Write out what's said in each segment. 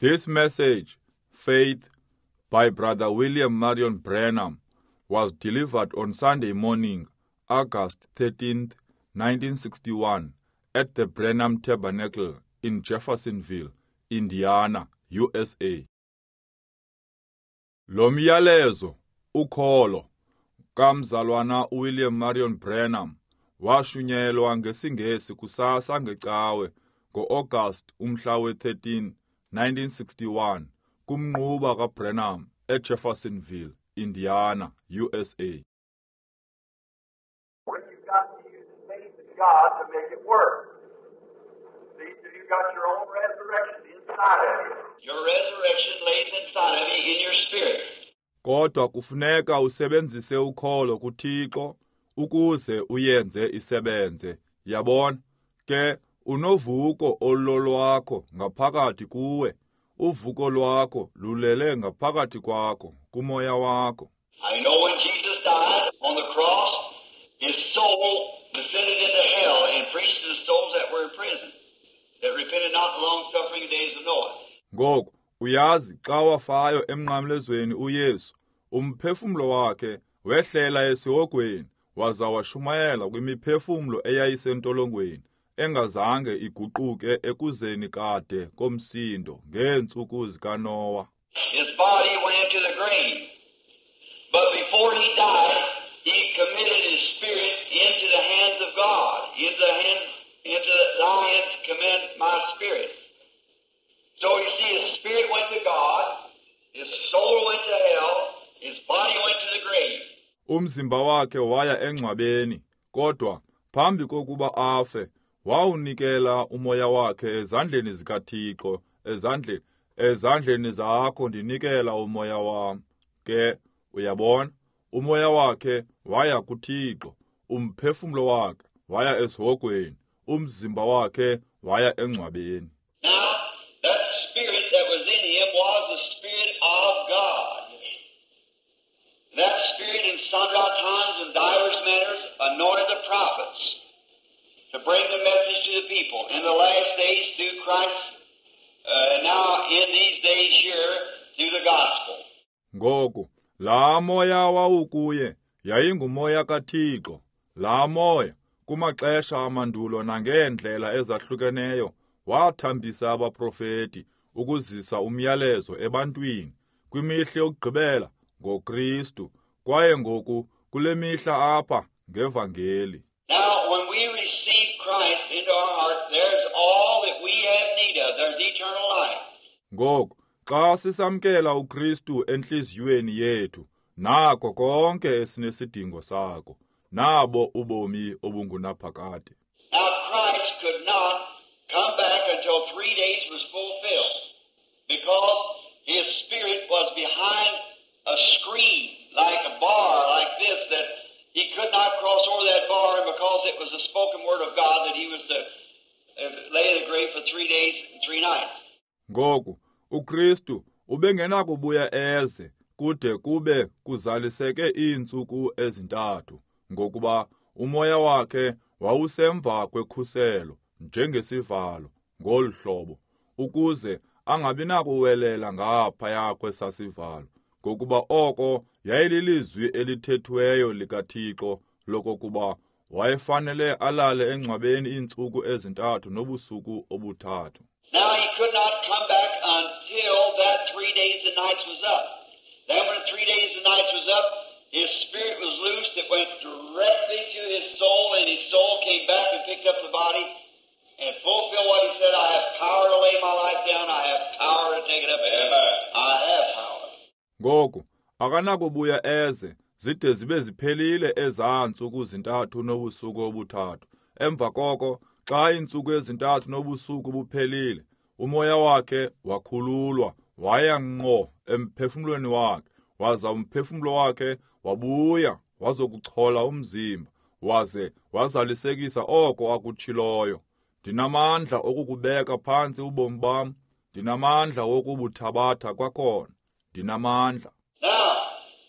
This message, Faith, by Brother William Marion Branham, was delivered on Sunday morning, August 13th, 1961, at the Branham Tabernacle in Jeffersonville, Indiana, USA. Lo myalezo, ukholo, kamzalwana uWilliam Marion Branham washunyelwa ngesiNgesi kusasa ngeCawe ngo-August umhla we-13, 1961 kumnquba kaBranham eJeffersonville, Indiana, USA. But you've got to use faith in God to make it work. See, so you've got your own resurrection inside of you. Your resurrection lays inside of you in your spirit. Kodwa kufuneka usebenzise ukholo kuThixo ukuze uyenze isebenze. Yabona? Ke unovuko ololwakho ngaphakathi kuwe. Uvuko lwakho lulele ngaphakathi kwakho, kumoya wakho. I know when Jesus died on the cross, his soul descended into hell and preached to the souls that were in prison, that repented not the long-suffering days of Noah. Ngoku uyazi xa wafayo emnqamlezweni uYesu, umphefumlo wakhe wehlela esihogweni waza washumayela kwimiphefumlo eyayisentolongweni engazange iguquke ekuzeni kade komsindo ngeentsuku zikaNowa. His body went into the grave. But before he died, he committed his spirit into the hands of God. Into thy hands commend my spirit. So you see, his spirit went to God, his soul went to hell, his body went to the grave. Umzimba wakhe waya engcwabeni, kodwa phambi kokuba afe, wawunikela umoya wakhe ezandleni zikaThixo, ezandleni zakho ndinikela umoya wam. Ke uyabona, umoya wakhe waya kuThixo, umphefumlo wakhe waya esihogweni, umzimba wakhe waya engcwabeni. Now, that spirit that was in him was the Spirit of God. That spirit in sundry times and divers manners anointed the prophets to bring the message to the people. In the last days through Christ, and now in these days here through the gospel. Ngoku, laa moya wawukuye yayingumoya kaThixo. Laa moya kumaxesha amandulo nangeendlela ezahlukeneyo wathambisa abaprofeti ukuzisa umyalezo ebantwini kwimihla yokugqibela ngoKristu, kwaye ngoku kule mihla apha ngevangeli. Now, when we receive Christ into our heart, there's all that we have need of. There's eternal life. Ngoku, xa sisamkela uKristu entliziyweni yethu, nako konke esinesidingo sako, nabo ubomi obungunaphakade. Now, Christ could not come back until 3 days was fulfilled, because his spirit was behind a screen, like a bar like this, that he could not cross over that bar, and because it was the spoken word of God that he was to lay in the grave for 3 days and 3 nights. Ngoku, uKristu ubengenakubuya eze kude kube kuzaliseke iintsuku ezintathu, ngokuba umoya wakhe wawusemva kwekhuselo njengesivalo ngolu hlobo, ukuze angabi nakuwelela ngaphaya kwesasivalo, ngokuba oko yayililizwi elithethiweyo likaThixo lokokuba wayefanele alale engcwabeni iintsuku ezintathu nobusuku obuthathu. Now he could not come back until that 3 days and nights was up. Then when 3 days and nights was up, his spirit was loosed. It went directly to his soul, and his soul came back and picked up the body and fulfilled what he said. I have power to lay my life down. I have power to take it up again. I have power. Ngoku akanakubuya eze zide zibe ziphelile ezaa ntsuku zintathu nobusuku obuthathu. Emva koko, xa iintsuku ezintathu nobusuku buphelile, umoya wakhe wakhululwa waya ngqo emphefumlweni wakhe, waza umphefumlo wakhe wabuya wazokuchola umzimba, waze wazalisekisa oko akutshiloyo. Ndinamandla okukubeka phantsi ubomi bam, ndinamandla wokubuthabatha kwakhona, ndinamandla. Now,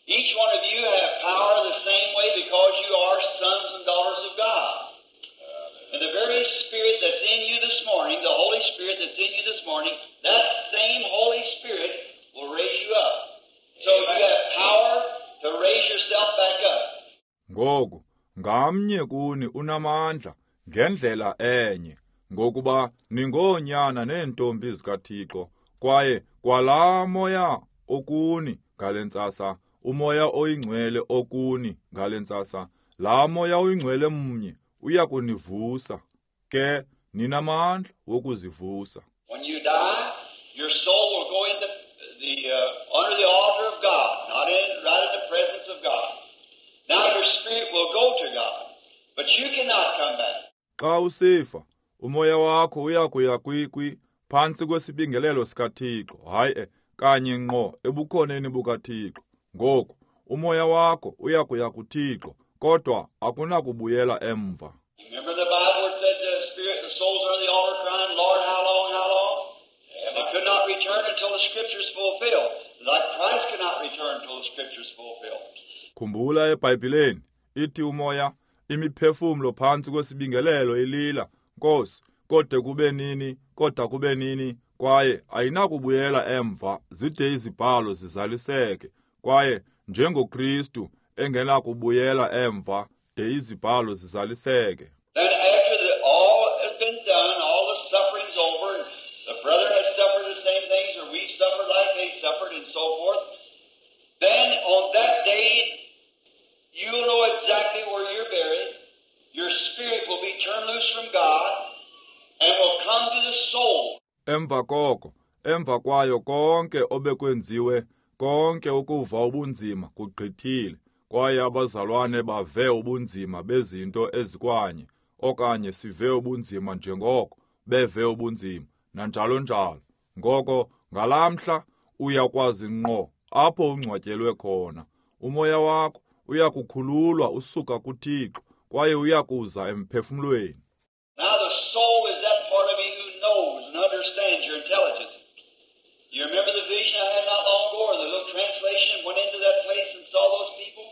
each one of you have power the same way because you are sons and daughters of God. And the very Spirit that's in you this morning, the Holy Spirit that's in you this morning, that same Holy Ngoku ngamnye kuni unamandla ngendlela enye, ngokuba ningoonyana neentombi zikaThixo, kwaye kwalaa moya okuni ngale ntsasa, uMoya oyiNgcwele okuni ngale ntsasa, laa Moya oyiNgcwele mnye uya kunivusa. Ke ninamandla wokuzivusa. When you die, your soul will go into the under the altar of God, not in right in the presence of God. Now your spirit will go to God, but you cannot come back. Xa usifa, umoya wakho uya kuya kwikwi phantsi kwesibingelelo sikaThixo, hayi kanye ngqo ebukhoneni bukaThixo. Ngoku umoya wakho uya kuya kuThixo, kodwa akunakubuyela emva. Remember the Bible said the spirit, the souls are on the altar crying, Lord, how long, how long? And they could not return until the Scriptures fulfilled. Like Christ could not return until the Scriptures fulfilled. Khumbula eBhayibhileni ithi umoya imiphefumlo phantsi kwesibingelelo ilila, Nkosi, kode kube nini, kodwa kube nini, kwaye ayinakubuyela emva zide izibhalo zizaliseke, kwaye njengoKristu engenakubuyela emva de izibhalo zizaliseke. Then after all has been done, all the suffering's over, and the brother has suffered the same things, or we've suffered like they suffered, and so forth, then on that day, you'll know exactly where you're buried. Your spirit will be turned loose from God and will come to the soul. Emva koko, emva kwayo konke obekwenziwe, konke ukuva ubunzima kugqithile, kwaye abazalwane bave ubunzima bezinto ezikwanye, okanye sive ubunzima njengoko beve ubunzima, nanjalo njalo. Ngoko ngalamhla uyakwazi ngqo apho ungcwatyelwe khona. Umoya wakho uyakukhululwa usuka kuThixo, kwaye uyakuza emphefumlweni. Now the soul is that part of you who knows and understands your intelligence. You remember the vision I had not long ago, or the little translation, went into that place and saw those people?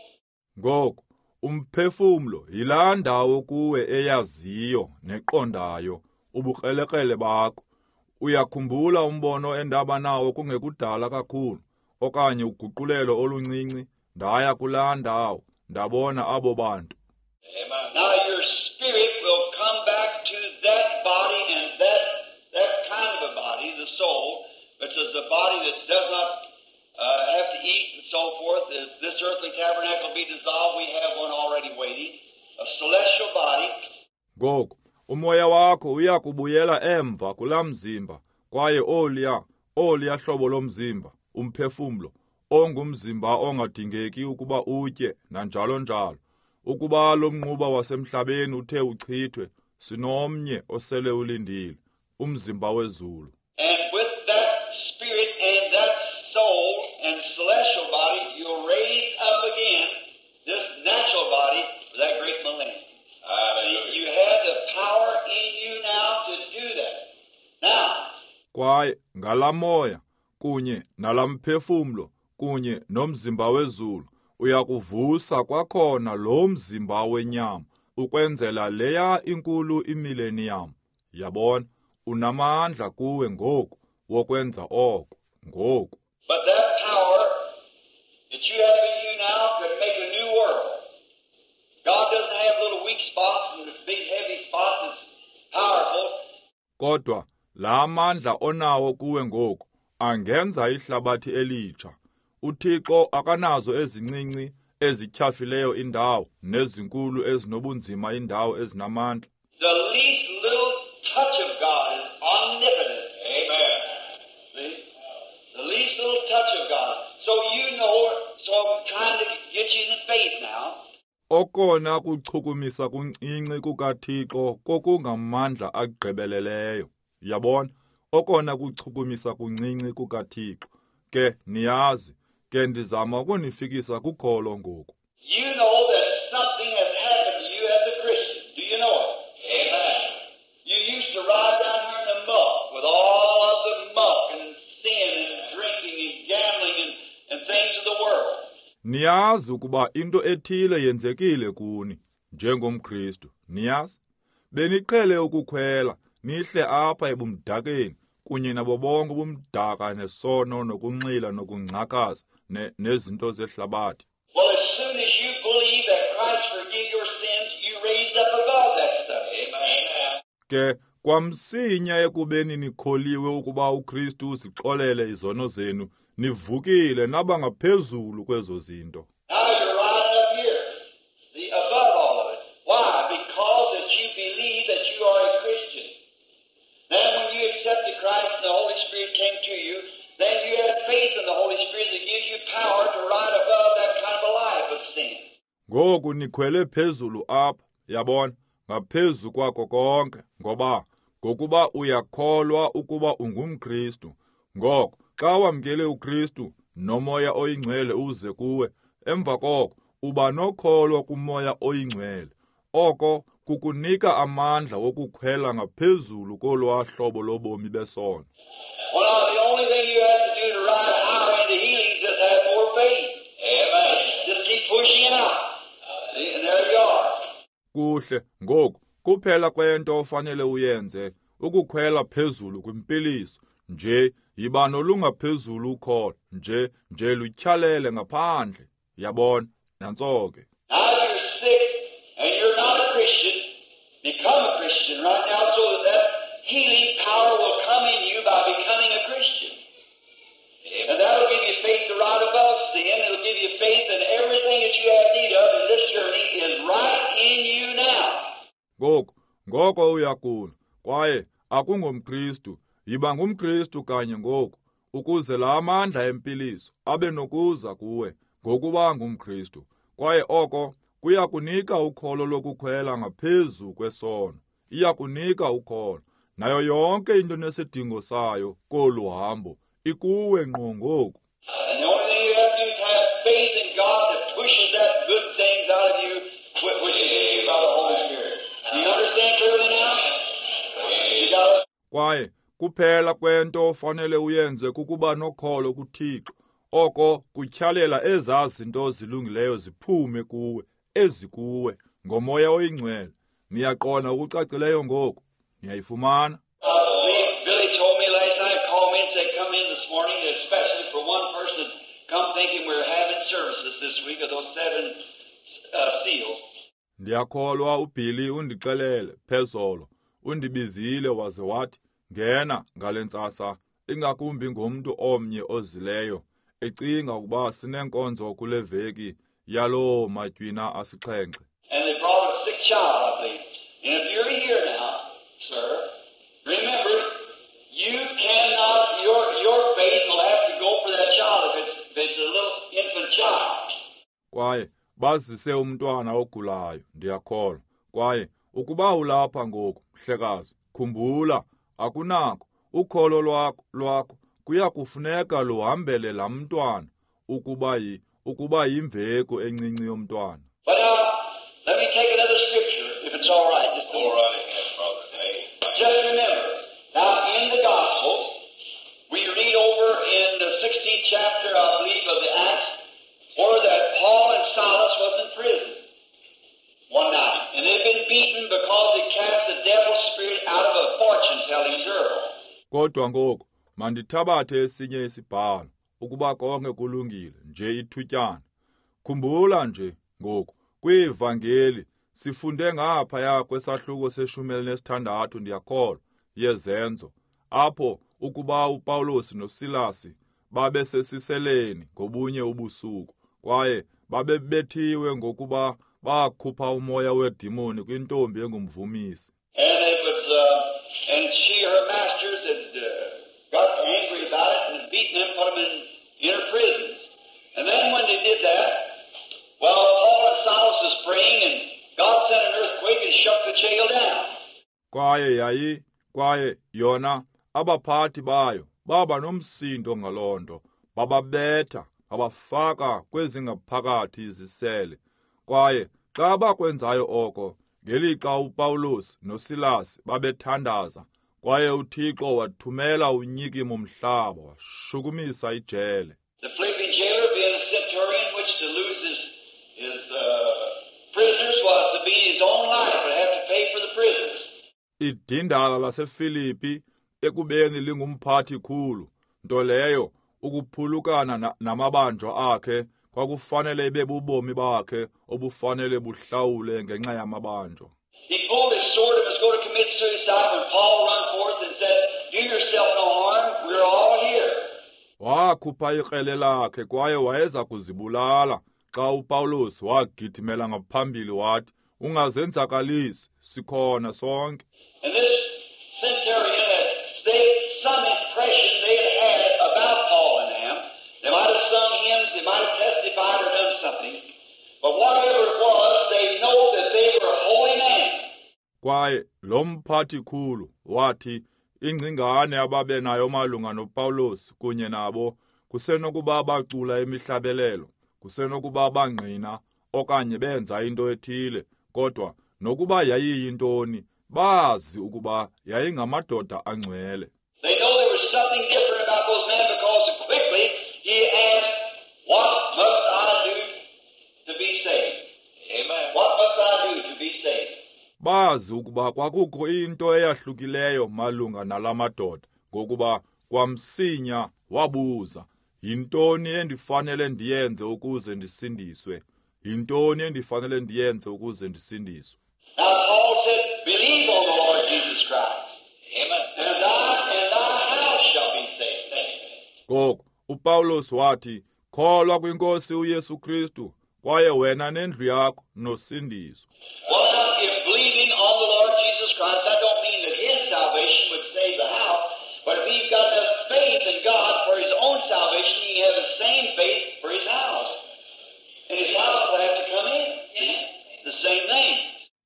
Ngoku umphefumlo yilaa ndawo kuwe eyaziyo neqondayo ubukrelekrele bakho. Uyakhumbula umbono endaba nawo kungekudala kakhulu, okanye uguqulelo oluncinci, ndaya kulaa ndawo ndabona abo bantu. Now your spirit will come back to that body and that kind of a body, the soul, which is the body that does not have to eat and so forth. If this earthly tabernacle be dissolved, we have one already waiting, a celestial body. Ngoku umoya wakho uyakubuyela emva kulaa mzimba, kwaye oliya hlobo lomzimba, umphefumlo, ongumzimba ongadingeki ukuba utye nanjalo njalo. Ukuba lo mnquba wasemhlabeni uthe uchithwe, sinomnye osele ulindile, umzimba wezulu. And with that spirit and that soul and celestial body, you'll raise up again this natural body for that great millennium. See, you have the power in you now to do that. Now, kwaye ngalamoya kunye nalamphefumlo kunye nomzimba wezulu uyakuvusa kwakhona lo mzimba wenyama ukwenzela leya inkulu imillennium. Yabona, unamandla kuwe ngoku wokwenza oko ngoku. But that power that you have in you now could make a new world. God doesn't have little weak spots and big heavy spots. It's powerful. Kodwa la mandla onawo kuwe ngoku angenza ihlabathi elitsha. uThixo akanazo ezincinci ezityhafileyo indawo nezinkulu ezinobunzima indawo ezinamandla. The least little touch of God is omnipotent. Amen. See? The least little touch of God. So you know, so I'm trying to get you in faith now. Okona kuchukumisa kuncinci kukaThixo kokungamandla agqibeleleyo. Yabona, okona kuchukumisa kuncinci kukaThixo. Ke niyazi, ke ndizama ukunifikisa kukholo ngoku. You know that something has happened to you as a Christian. Do you know it? Amen. You used to ride down here in the muck with all of the muck and sin and drinking and gambling and things of the world. Niyazi ukuba into ethile yenzekile kuni njengomKristu. Niyazi? Beniqhele ukukhwela nihle apha ebumdakeni kunye nabo bonke ubumdaka nesono nokunxila nokungcakaza nezinto zehlabathi. Well, as soon as you believe that Christ forgive your sins, you raised up above that stuff. Amen. Ke kwamsinya ekubeni nikholiwe ukuba uKristu uzixolele izono zenu, nivukile naba ngaphezulu kwezo zinto. Now you're riding up here, the above all of it. Why? Because that you believe that you are a Christian. Then when you accepted Christ and the Holy Spirit came to you, then you have faith in the Holy Spirit that gives you power to ride above that kind of a life of sin. Ngoku nikhwele phezulu apha, yabona, ngaphezu kwako konke, ngoba ngokuba uyakholwa ukuba ungumKristu. Ngoko xa wamkele uKristu noMoya oyiNgcwele uze kuwe, emva koko uba nokholo kuMoya oyiNgcwele. Oko kukunika amandla wokukhwela ngaphezulu kolwaa hlobo lobomi besono. Well, the only thing you have to do to ride higher into healing is just have more faith. Amen. Just keep pushing out. See, and there you are. Kuhle, ngoku kuphela kwento ofanele uyenze ukukhwela phezulu kwimpiliso nje, yiba nolungaphezulu ukholo nje, nje lutyhalele ngaphandle. Yabona, nantso ke. Now you're sick and you're not a Christian. Become a Christian right now so that that healing power will come in you by becoming a Christian. And that'll give you faith to ride above sin. It'll give you faith in everything that you have need of in this journey is right in you now. Ngoku, ngoko uyagula kwaye akungomKristu, yiba ngumKristu kanye ngoku, ukuze la mandla empiliso abe nokuza kuwe ngokuba ngumKristu. Kwaye oko kuyakunika ukholo lokukhwela ngaphezu kwesono. Iyakunika ukholo. Nayo yonke into nesidingo sayo kolu hambo ikuwe ngqo ngoku. And the only thing you have to do is have faith in God that pushes that good things out of you, which is in you by the Holy Spirit. Do you understand clearly now? You got it. Kwaye kuphela kwento ofanele uyenze kukuba nokholo kuThixo. Oko kutyhalela ezaa zinto zilungileyo ziphume kuwe, ezikuwe, ngoMoya oyiNgcwele. Niyaqonda okucacileyo ngoku? Niyayifumana? Billy told me last night, called me and said, come in this morning, especially for one person, come thinking we're having services this week of those 7 seals. Ndiyakholwa uBilly undixelele phezolo, undibizile waze wathi, ngena ngale ntsasa, ingakumbi ngomntu omnye ozileyo, ecinga ukuba sinenkonzo kule veki yaloo matywina asixhenxe. And they brought a sick child, I believe. And if you're here now, sir, remember, you cannot, your faith will have to go for that child if it's a little infant child. Kwaye bazise umntwana ogulayo, ndiyakholwa. Kwaye ukuba ulapha ngoku, mhlekazi, khumbula, akunako, ukholo lwakho kuya kufuneka luhambele laa mntwana ukuba yimveku encinci yomntwana. But now, let me take another scripture, if it's all right. Just go right ahead, brother. Hey. Just remember, now in the Gospels, we read over in the 16th chapter, I believe, of the Acts, where that Paul and Silas was in prison one night. And they'd been beaten because they cast the devil's spirit out of a fortune-telling girl. Kodwa ngoku, mandithabathe esinye isibhalo, ukuba konke kulungile, nje ithutyana. Khumbula nje ngoku, kwiivangeli sifunde ngaphaya kwesahluko se-16, ndiyakholwa, yezenzo, apho ukuba uPawulos noSilasi babesesiseleni ngobunye ubusuku, kwaye babebethiwe ngokuba bakhupha umoya wedimoni kwintombi engumvumisi. And it was, and she, her masters had got angry about it and beaten them, put them in inner prisons. And then when they did that, well, Paul and Silas was praying, and God sent an earthquake and shook the jail down. Kwaye kwaye yona abaphathi bayo baba nomsindo ngaloo nto, bababetha, babafaka kwezingaphakathi izisele. Kwaye xa bakwenzayo oko, ngelixa uPawulos noSilas babethandaza, kwaye uThixo wathumela unyikimo mhlaba washukumisa ijele. The Philippian jailer being a centurion, which to lose his prisoners was to be his own life and have to pay for the prisoners. Idindala laseFilipi ekubeni lingumphathi khulu, nto leyo ukuphulukana namabanjwa akhe Kwakufanele ibe bubomi bakhe obufanele buhlawule ngenxa yamabanjwa. He pulled his sword and was going to commit suicide when Paul run forth and said, "Do yourself no harm, we're all here." Wakhupha ikrele lakhe kwaye wayeza kuzibulala xa uPawulos wagidimela ngaphambili wathi, "Ungazenzakalisi, sikhona sonke." And this centurion had some impression they had about Paul and them. They might have sung hymns, they might have testified or done something. But whatever it was, they know that they were holy men. Kwaye lo mphathi khulu wathi ingcingane ababenayo malunga noPawulos kunye nabo kusenokuba bacula imihlabelelo, kusenokuba bangqina okanye benza into ethile, kodwa nokuba yayiyintoni, bazi ukuba yayingamadoda angcwele. They know there was something different about those men because quickly he asked, "What must I do to be saved?" Amen. What must I do to be saved? Bazi ukuba kwakukho into eyahlukileyo malunga nalamadoda, ngokuba kwamsinya wabuza, "Yintoni endifanele ndiyenze ukuze ndisindiswe? Yintoni endifanele ndiyenze ukuze ndisindiswe?" Now Paul said, "Believe on the Lord Jesus Christ. Amen. And thou and thy house shall be saved." Ngoko uPawulos wathi, "Kholwa kwinkosi uYesu Kristu, kwaye wena nendlu yakho nosindiswa." Well, now, if believing on the Lord Jesus Christ, that don't mean that his salvation would save the house, but if he's got enough faith in God for his own salvation, he can have the same faith for his house. And his house will have to come in. See? The same thing.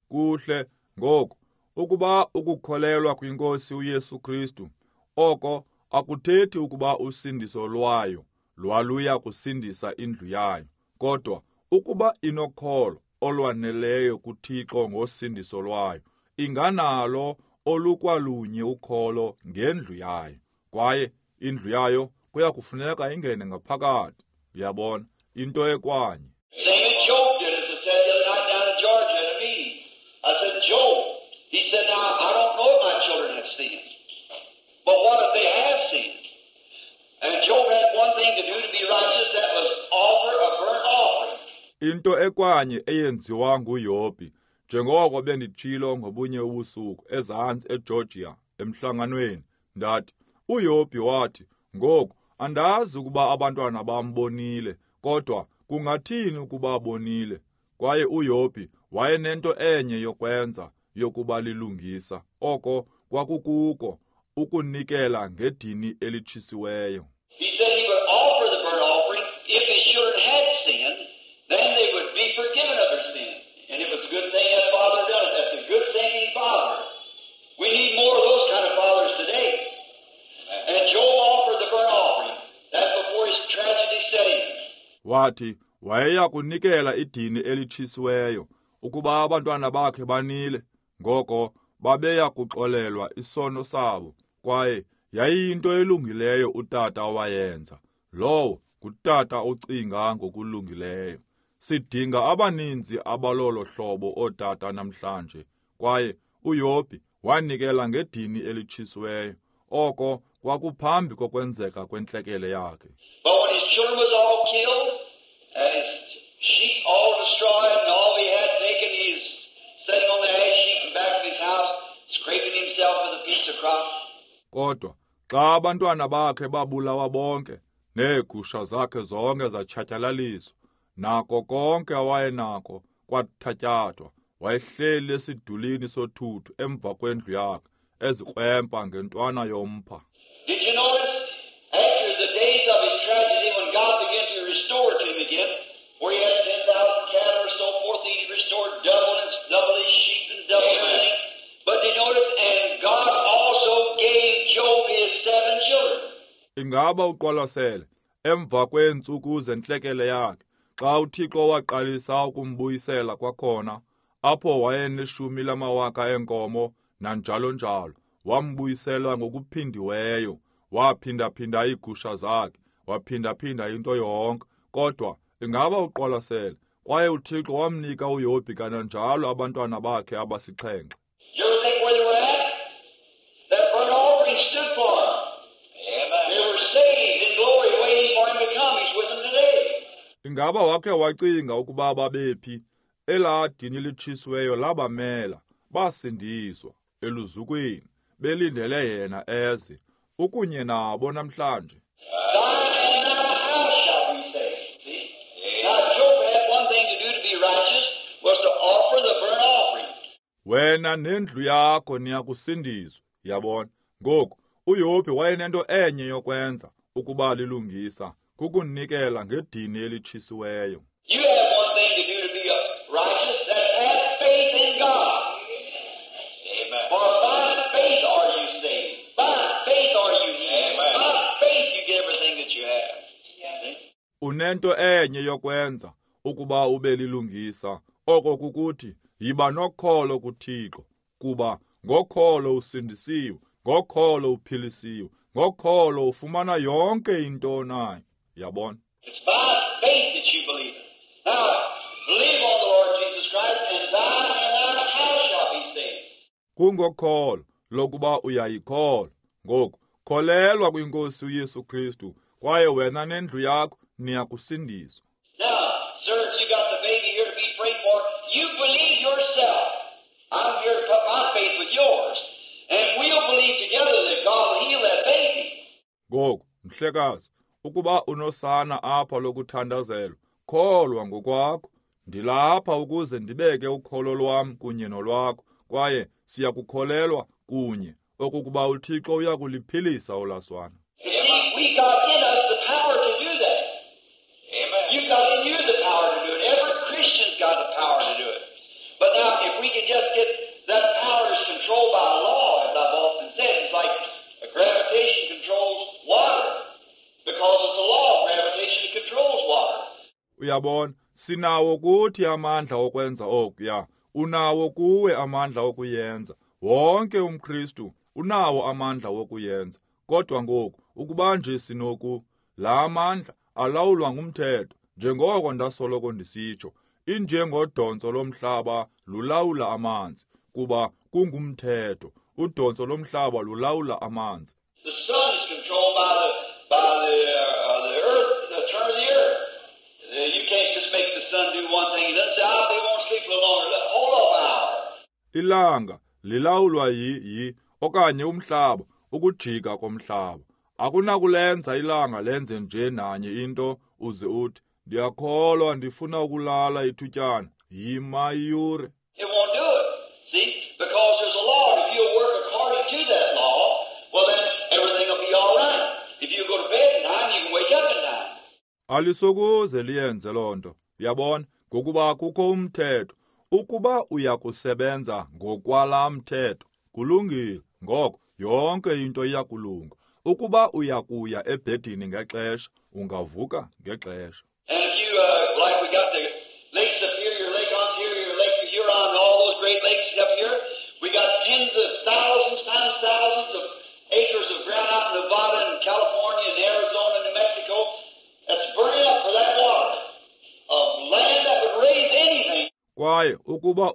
Kuhle ngoku ukuba ukukholelwa kwinkosi uYesu Kristu, oko akuthethi ukuba usindiso lwayo lwaluya kusindisa indlu yayo, kodwa ukuba inokholo olwaneleyo kuThixo ngosindiso lwayo, inganalo olukwalunye ukholo ngendlu yayo, kwaye indlu yayo kuya kufuneka ingene ngaphakathi. Uyabona, into ekwanye. Same as Job did, as I said the other night down in Georgia at a meeting. I said, Job, he said, "Now, I don't know if my children have sinned, but what if they have sinned?" And Job had one thing to do to be righteous, that was offer a burnt offering. Into ekwanye eyenziwa nguYobhi, njengoko benditshilo ngobunye ubusuku ezantsi eGeorgia emhlanganweni, ndathi, uYobhi wathi, "Ngoku andazi ukuba abantwana bam bonile, kodwa kungathini ukuba bonile?" Kwaye uYobhi wayenento enye yokwenza yokuba lilungisa, oko kwakukuko ukunikela ngedini elitshisiweyo. He said he would offer the burnt offering if his children had sinned, then they would be forgiven of their sin. And it was a good thing that father done it. That's a good thinking father. We need more of those kind of fathers today. And Job offered the burnt offering. That's before his tragedy set in. Wathi wayeya kunikela idini elitshisiweyo ukuba abantwana bakhe banile, ngoko babeya kuxolelwa isono sabo, kwaye yayiyinto elungileyo utata owayenza. Lowo ngutata ocinga ngokulungileyo. Sidinga abaninzi abalolo hlobo ootata namhlanje. Kwaye uYobhi wanikela ngedini elitshisiweyo, oko kwakuphambi kokwenzeka kwentlekele yakhe. But when his children was all killed, and his sheep all destroyed, and all he had taken, he's sitting on the ash heap in back of his house, scraping himself with a piece of crock. Kodwa xa abantwana bakhe babulawa bonke, neegusha zakhe zonke zatshatyalaliswa, nako konke awayenako kwathatyathwa, wayehleli esidulini sothuthu emva kwendlu yakhe, ezikrwempa ngentwana yompha. Did you notice after the days of his tragedy, when God began to restore to him again, where he had 10,000 cattle or so forth, he restored double and double his sheep and double everything. But did you notice, and God also gave Job his 7 children. Ingaba uqwalasele emva kweentsuku zentlekele yakhe, xa uThixo waqalisa ukumbuyisela kwakhona, apho wayeneshumi lamawaka eenkomo nanjalo njalo, wambuyisela ngokuphindiweyo, waphindaphinda iigusha zakhe, waphindaphinda into yonke. Kodwa ingaba uqwalasele, kwaye uThixo wamnika uYobhi kananjalo abantwana bakhe abasixhenxe. You ever think where they were at? That burnt offering stood for them. Amen. They were saved in glory, waiting for him to come. He's with them today. Ingaba wakhe wacinga ukuba babephi? Elaa dini litshisiweyo labamela, basindiswa eluzukweni, belindele yena eze. Ukunye nabo namhlanje. Wena nendlu yakho niyakusindiswa, yabona. Ngoku, uYobhi wayenento enye yokwenza ukuba lilungisa, kukunikela ngedini elitshisiweyo. You have one thing to do to be righteous, that have faith in God. Amen. For by faith are you saved. By faith are you healed. Amen. By faith you get everything that you have. Yeah. Unento enye yokwenza ukuba ube lilungisa, oko kukuthi yiba nokholo kuThixo, kuba ngokholo usindisiwe, ngokholo uphilisiwe, ngokholo ufumana yonke into onayo. Yabona? It's by faith that you believe it. Now, believe on the Lord Jesus Christ, and thou and thy house shall be saved. Kungokholo lokuba uyayikholwa. Ngoku, kholelwa kwinkosi uYesu Kristu, kwaye wena nendlu yakho niyakusindiswa. Now, sir, if you got the baby here to be prayed for, you believe yourself. I'm here to put my faith with yours. And we'll believe together that God will heal that baby. Ngoku, mhlekazi, ukuba unosana apha lokuthandazelwa, kholwa ngokwakho. Ndilapha ukuze ndibeke ukholo lwam kunye nolwakho, kwaye siyakukholelwa kunye okokuba uThixo uyakuliphilisa olaswana. We got in us the power to do that. Amen. You got in you the power to do it. Every Christian's got the power to do it. But now, if we can just get that power is controlled by law, as I've often said, it's like gravitation controls water. Because it's a law of gravitation that controls water. Uyabona, sinawo kuthi amandla okwenza okuya. Unawo kuwe amandla okuyenza. Wonke umKristu unawo amandla wokuyenza. Kodwa ngoku, ukuba nje sinoku, la amandla alawulwa ngumthetho, njengoko ndasoloko ndisitsho, injengodontso lomhlaba lulawula amanzi, kuba kungumthetho. Udontso lomhlaba lulawula amanzi. The sun is controlled by the earth, the turn of the earth. You can't just make the sun do one thing. Let's say, they won't sleep a little longer. Hold off an hour. Ilanga lilawulwa yi okanye umhlaba, ukujika komhlaba. Akunakulenza ilanga lenze nje nanye into uze uthi ndiyakholwa ndifuna ukulala ithutyana. Yima iyure. It won't do it. See? Because there's a law. If you work according to that law, well then everything will be all right. If you go to bed in time, you can wake up in time. Alisokuze liyenze loo nto. Uyabona? Ngokuba kukho umthetho. Ukuba uyakusebenza ngokwala mthetho, kulungile. Ngoko yonke into iyakulunga. Ukuba uyakuya ebhedini ngexesha, ungavuka ngexesha. And if you, like we got the Lake Superior, Lake Ontario, Lake Huron, and all those great lakes up here, we got tens of thousands times thousands of acres of ground out in Nevada and California and Arizona and New Mexico that's burning up for that water, of land that would raise anything. Kwaye ukuba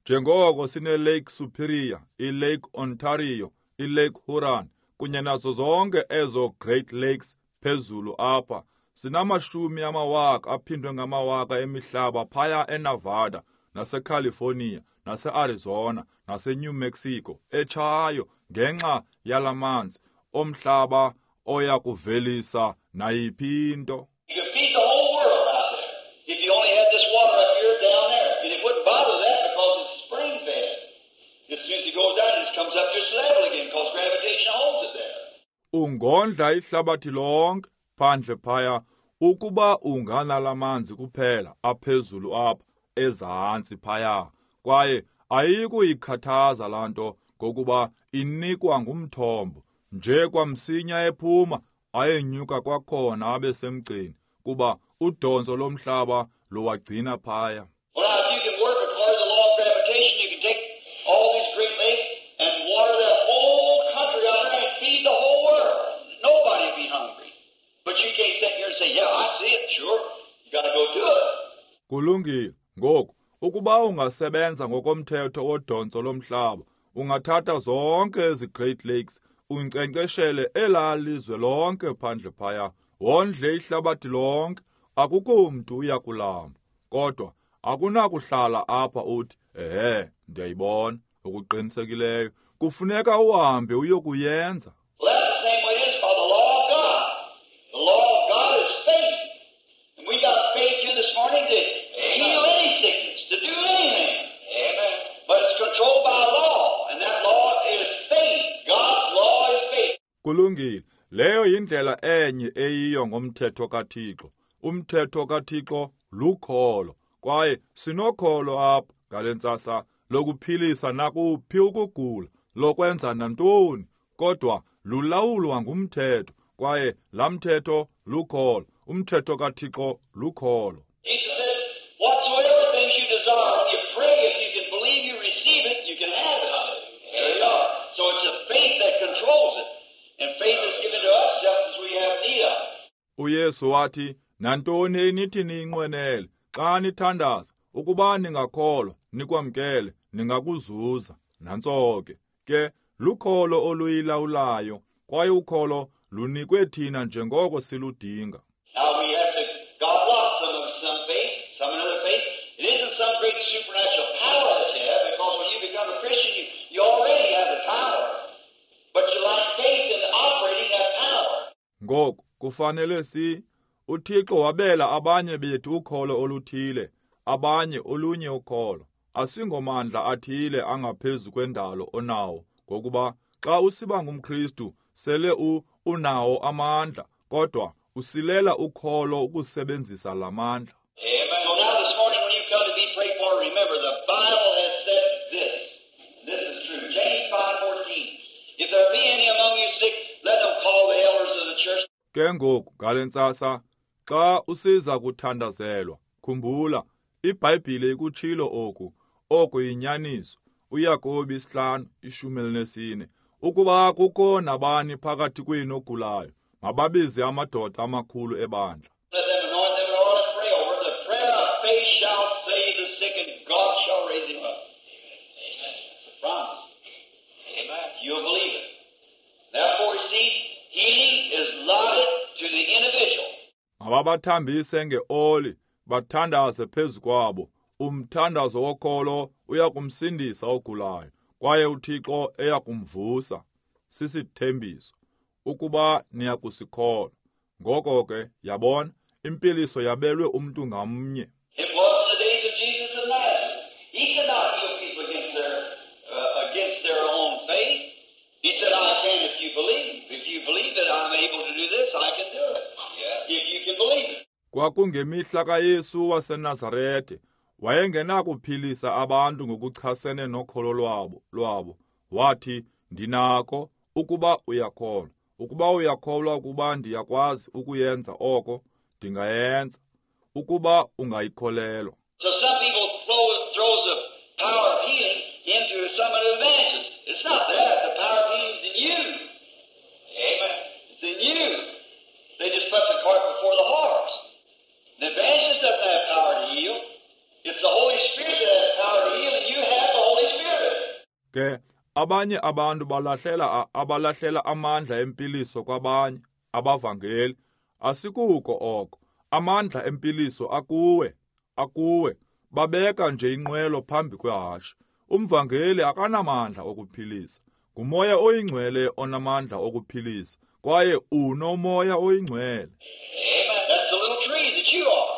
njengoko sine Lake Superior, i-Lake Ontario, i-Lake Huron, kunye nazo zonke ezo Great Lakes phezulu apha, sinamashumi amawaka aphindwe ngamawaka emihlaba phaya eNevada, naseCalifornia, naseArizona, naseNew Mexico, etshayo ngenxa yalamanzi omhlaba oya kuvelisa nayiphi into. You could feed the whole world out there if you only had this water up here down there. And it wouldn't bother that because it's spring fed. As soon as it goes down, it just comes up to its level again because gravitation holds it there. Ungondla ihlabathi lonke phandle phaya ukuba unganalamanzi kuphela aphezulu apha ezantsi phaya, kwaye ayikuyikhathaza laa nto ngokuba inikwa ngumthombo. Nje kwamsinya ephuma ayenyuka kwakhona abe semgceni, kuba udonso lomhlaba luwagcina phaya. Well, now, if you can work according to the law of gravitation, you can take all these great lakes and water that whole country out there and feed the whole world. Nobody would be hungry. But you can't sit here and say, yeah, I see it, sure. You got to go do it. Kulungile. Ngoku, ukuba ungasebenza ngokomthetho wodonso lomhlaba, ungathatha zonke ezi Great Lakes, unkcenkceshele elaa lizwe lonke phandle phaya, wondle ihlabathi lonke, Akukho mntu uya kulamba, kodwa akunakuhlala apha uthi, ehe, ndiyayibona, okuqinisekileyo. Kufuneka uhambe uyokuyenza. Well, that's the same way it is by the law of God. The law of God is faith. And we got faith here this morning to heal any sickness, to do anything. Amen. But it's controlled by law, and that law is faith. God's law is faith. Kulungile. Leyo yindlela enye eyiyo ngomthetho kaThixo. Umthetho kaThixo lukholo. Kwaye sinokholo apha ngale ntsasa lokuphilisa nakuphi ukugula, lokwenza nantoni, kodwa lulawulwa ngumthetho, kwaye laa mthetho lukholo. Umthetho kaThixo lukholo. Jesus said, whatsoever things you desire, when you pray, if you can believe you receive it, you can have it. There you are. So it's a faith that controls it. And faith is given to us just as we have need of it. uYesu wathi, nantoni enithi niyinqwenele xa nithandaza, ukuba ningakholwa, nikwamkele, ningakuzuza. Nantso ke. Ke lukholo oluyilawulayo, kwaye ukholo lunikwe thina njengoko siludinga. Now we have to, God lots some of us some faith, some another faith. It isn't some great supernatural power that you have, because when you become a Christian, you already have the power. But you lack faith in operating that power. Ngoku kufanele uThixo wabela abanye bethu ukholo oluthile, abanye olunye ukholo. Asingomandla athile angaphezu kwendalo onawo, ngokuba xa usiba ngumKristu sele unawo amandla, kodwa usilela ukholo ukusebenzisa la mandla. Amen. So now this morning when you come to be prayed for, remember the Bible has said this. This is true. James 5:14. If there be any among you sick, let them call the elders of the church. Ke ngoku ngale ntsasa xa usiza kuthandazelwa, khumbula iBhayibhile ikutshilo oku, oku yinyaniso. uYakobi 5:14. Ukuba kukho nabani phakathi kwenu ogulayo, mababize amadoda amakhulu ebandla. Let them anoint them in oil and pray over. The prayer of faith shall save the sick, and God shall raise him up. Amen. It's a promise. Amen. You'll believe it. Therefore, see, healing is allotted to the individual. Mababathambise ngeoli, bathandaze phezu kwabo. Umthandazo wokholo uyakumsindisa ogulayo, kwaye uThixo eyakumvusa. Sisithembiso ukuba niyakusikholwa. Ngoko ke, yabona, impiliso yabelwe umntu ngamnye. It was in the days of Jesus of Nazareth. He could not heal people against their own faith. He said, I can if you believe. If you believe that I'm able to do this, I can do it. Yeah. If you can believe it. Kwakungemihla kaYesu waseNazarete, wayengenakuphilisa abantu ngokuchasene nokholo lwabo. Wathi, ndinako ukuba uyakholwa. Ukuba uyakholwa ukuba ndiyakwazi ukuyenza oko, ndingayenza. Ukuba ungayikholelwa. So some people throws the power of healing into some of the evangelists. It's not that. The power of healing is in you. Amen. It's in you. They just put the cart before the horse. The evangelist doesn't have power to heal. It's the Holy Spirit that has power to heal, and you have the Holy Spirit. Ke abanye abantu abalahlela amandla empiliso kwabanye abavangeli. Asikuko oko. Amandla empiliso akuwe, akuwe. Babeka nje inqwelo phambi kwehashe. Umvangeli akanamandla okuphilisa. Ngumoya oyingcwele onamandla okuphilisa, kwaye unomoya oyingcwele. Amen. That's the little tree that you are.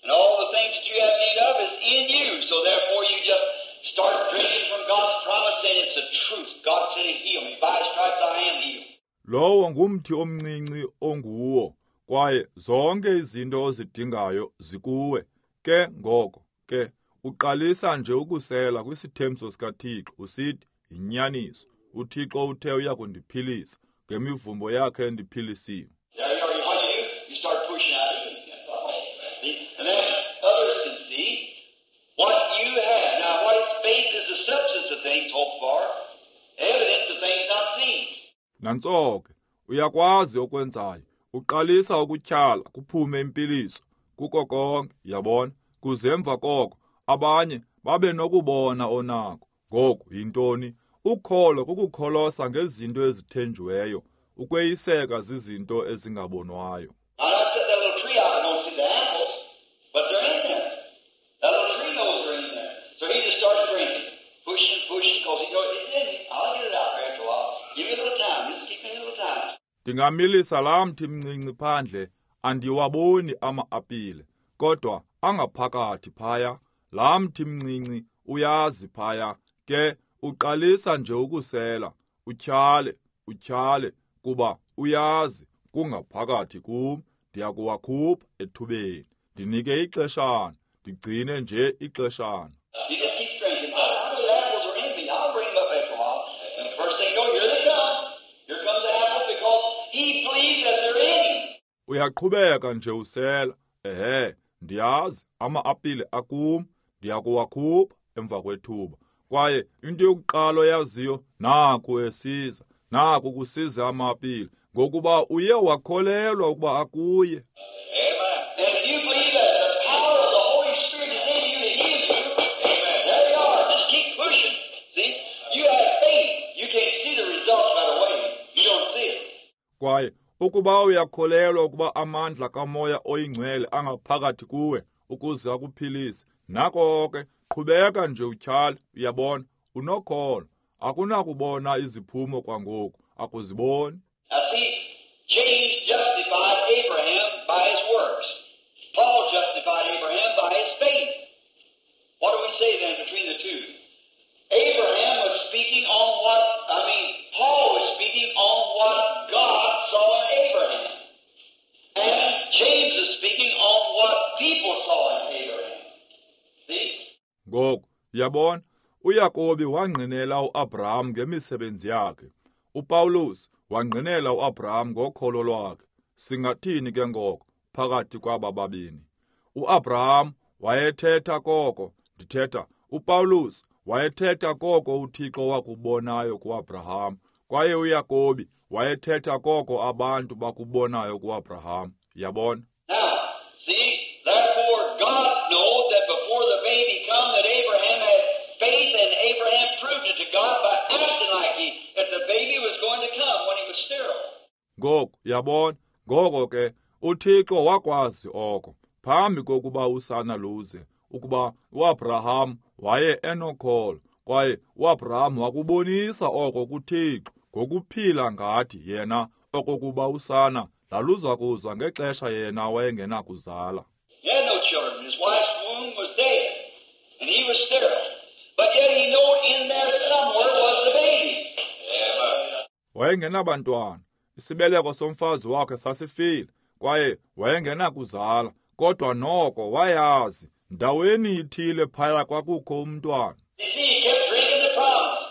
And all the things that you have need of is in you. So therefore you just start drinking from God's promise, and it's the truth. God said He'd heal me. By His stripes I am healed. Lowo ngumthi omncinci onguwo, kwaye zonke izinto ozidingayo zikuwe. Ke ngoko ke uqalisa nje ukusela kwisithembiso sikaThixo usithi yinyaniso. uThixo uthe uyakundiphilisa, ngemivumbo yakhe ndiphilisiwe. There you are. What you do, you start pushing out of you. See? And then others can see what you have. Now, what is faith is the substance of things hoped for, evidence of things not seen. Nantso ke, uyakwazi okwenzayo. Uqalisa ukutyhala kuphume impiliso kuko konke, yabona, kuze emva koko abanye babe nokubona onako. Ngoku yintoni? Ukholo kukukholosa ngezinto ezithenjiweyo, ukweyiseka zizinto ezingabonwayo. Now, I set that little tree out, I don't see the apple. Because he knows it's in me. I'll get it out there after a while. Give me a little time. Just keep me a little time. Ndingamilisa laa mthi mncinci phandle, andiwaboni ama-apile, kodwa angaphakathi phaya. Laa mthi mncinci uyazi phaya, ke uqalisa nje ukusela, utyhale, utyhale, kuba uyazi kungaphakathi kum, ndiyakuwakhupha ethubeni. Ndinike ixeshana, ndigcine nje ixeshana. You just keep drinking. I know the apples are in me. I'll bring them up after a while. And the first thing you know, here they come. Here comes the apple because he believes that they're in him. Uyaqhubeka nje usela. Ehe, ndiyazi ama-apile akum, ndiyakuwakhupha emva kwethuba. Kwaye into yokuqala oyaziyo, naku esiza, naku kusiza ama-apile, ngokuba uye wakholelwa ukuba akuye. Amen. And if you believe that the power of the Holy Spirit is in you to heal you, amen. There you are. Just keep pushing. See? You have faith. You can't see the results right away. You don't see it. Kwaye ukuba uyakholelwa ukuba amandla kaMoya oyiNgcwele angaphakathi kuwe ukuze akuphilise, nako ke qhubeka nje utyhale, uyabona, unokholo. Akunakubona iziphumo kwangoku, akuziboni. Now see, James justified Abraham by his works. Paul justified Abraham by his faith. What do we say then between the two? Abraham was speaking on what, Paul was speaking on what God saw in Abraham. And James is speaking on what people saw in Abraham. See? Ngoku, yabona, uYakobi wangqinela uAbraham ngemisebenzi yakhe. uPaulus wangqinela uAbraham ngokholo lwakhe. Singathini ke ngoko phakathi kwaba babini? uAbraham wayethetha koko, ndithetha uPaulus wayethetha koko uThixo wakubonayo kuAbraham, kwaye uYakobi wayethetha koko abantu bakubonayo kuAbraham. Yabona? Now, see, therefore God knowed that before the baby come that Abraham had faith, and Abraham proved it to God by acting like he, that the baby was going to come when he was sterile. Ngoku, yabona, ngoko ke uThixo wakwazi oko phambi kokuba usana luze, ukuba uAbraham waye enokholo, kwaye uAbraham wakubonisa oko kuThixo ngokuphila ngathi yena okokuba usana laluza kuza ngexesha yena wayengenakuzala. He had no children. His wife's womb was dead, and he was sterile. But yet he knew in there somewhere was the baby. Wayengenabantwana. Isibeleko somfazi wakhe sasifile, kwaye wayengenakuzala, kodwa noko wayazi ndaweni ithile phaya kwakukho umntwana. You see, he kept drinking the promise,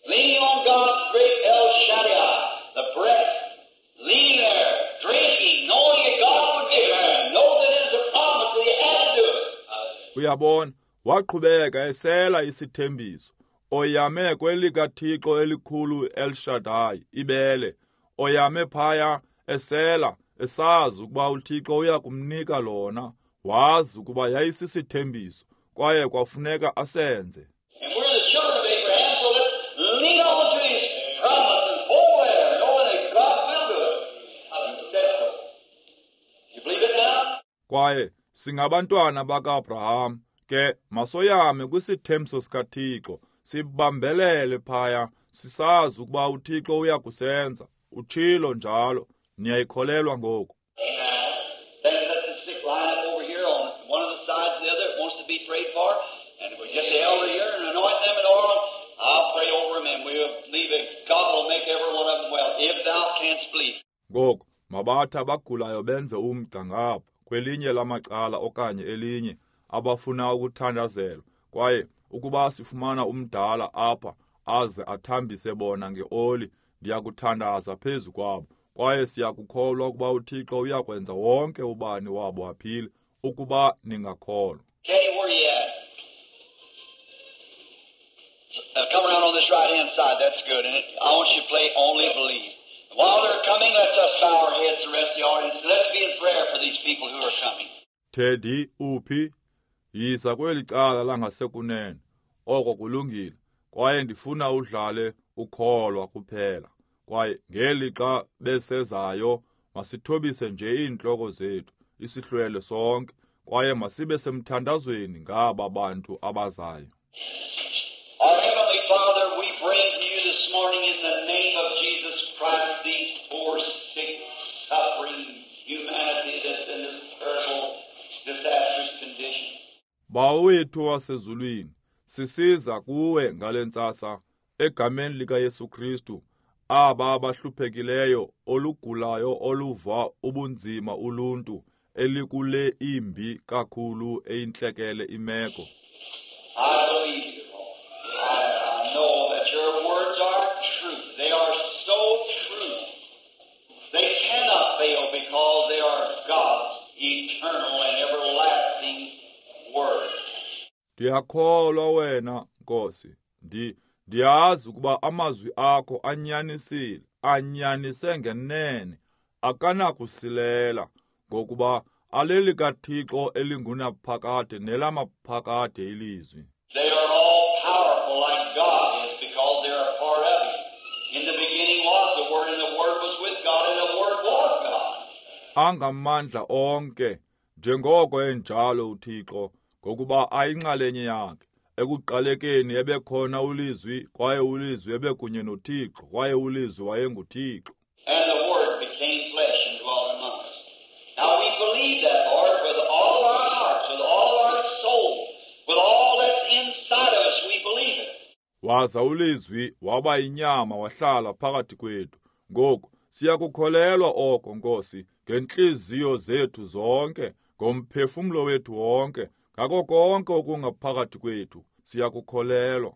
leaning on God's great El Shaddai, the breast, leaning there, drinking, knowing that God would give him, know that it is a promise that he had to do it. Uyabona, waqhubeka esela isithembiso, oyame kwelikaThixo elikhulu El Shaddai, ibele, oyame phaya esela, esazi ukuba uThixo uya kumnika lona, wazi ukuba yayisisithembiso, kwaye kwafuneka asenze. And we're the children of Abraham, so let's lean on to his promise and hold there, knowing that God will do it. And said so. You believe it now? Kwaye singabantwana bakaAbraham, ke masoyame kwisithembiso sikaThixo, sibambelele phaya, sisazi ukuba uThixo uya kusenza. Utshilo njalo, niyayikholelwa ngoku. Amen. Then let the sick line up over here on one of the sides of the other that wants to be prayed for, and we get the elder here and anoint them and all. I'll pray over them, and we'll believe that God will make every one of them well, if thou canst believe. Ngoku mabathi abagulayo benze umgca ngapha kwelinye lamacala okanye elinye abafuna ukuthandazelwa, kwaye ukuba sifumana umdala apha aze athambise bona ngeoli, ndiyakuthandaza phezu kwabo, kwaye siyakukholwa ukuba uThixo uyakwenza wonke ubani wabo aphile, ukuba ningakholwa. Teddy, where you at? Come around on this right-hand side. That's good. And I want you to play Only Believe. While they're coming, let's us bow our heads, the rest of the audience. Let's be in prayer for these people who are coming. Teddy, uphi? Yiza kweli cala langasekunene. Oko kulungile. Kwaye ndifuna udlale ukholwa kuphela. Kwaye ngelixa besezayo, masithobise nje iintloko zethu, isihlwele sonke, kwaye masibe semthandazweni ngaba bantu abazayo. Our Heavenly Father, we morning in the name of Jesus Christ, these poor, sick, suffering humanity that's in this terrible, disastrous condition. Bawo wethu wasezulwini, sisiza kuwe ngale ntsasa egameni likaYesu Kristu, aba abahluphekileyo, olugulayo, oluva ubunzima uluntu elikule imbi kakhulu eyintlekele imeko. I believe you, Lord. I know that your words are true. They are so true. They cannot fail because they are God's eternal and everlasting word. Ndiyakholwa wena, Nkosi. Ndiyazi ukuba amazwi akho anyanisile, anyanise ngenene, akanakusilela, ngokuba alelikaThixo elingunaphakade nelamaphakade ilizwi. They are all powerful like God is because they are part of Him. In the beginning was the Word, and the Word was with God, and the Word was God. Angamandla onke, njengoko enjalo uThixo, ngokuba ayinxalenye yakhe. Ekuqalekeni ebekhona uLizwi, kwaye uLizwi ebekunye noThixo, kwaye uLizwi wayenguThixo. And the Word became flesh and dwelt among us. Now we believe that, Lord, with all of our hearts, with all of our soul, with all that's inside of us, we believe it. Waza uLizwi waba yinyama wahlala phakathi kwethu. Ngoku siyakukholelwa oko, Nkosi, ngentliziyo zethu zonke, ngomphefumlo wethu wonke, ngako konke okungaphakathi kwethu, siyakukholelwa.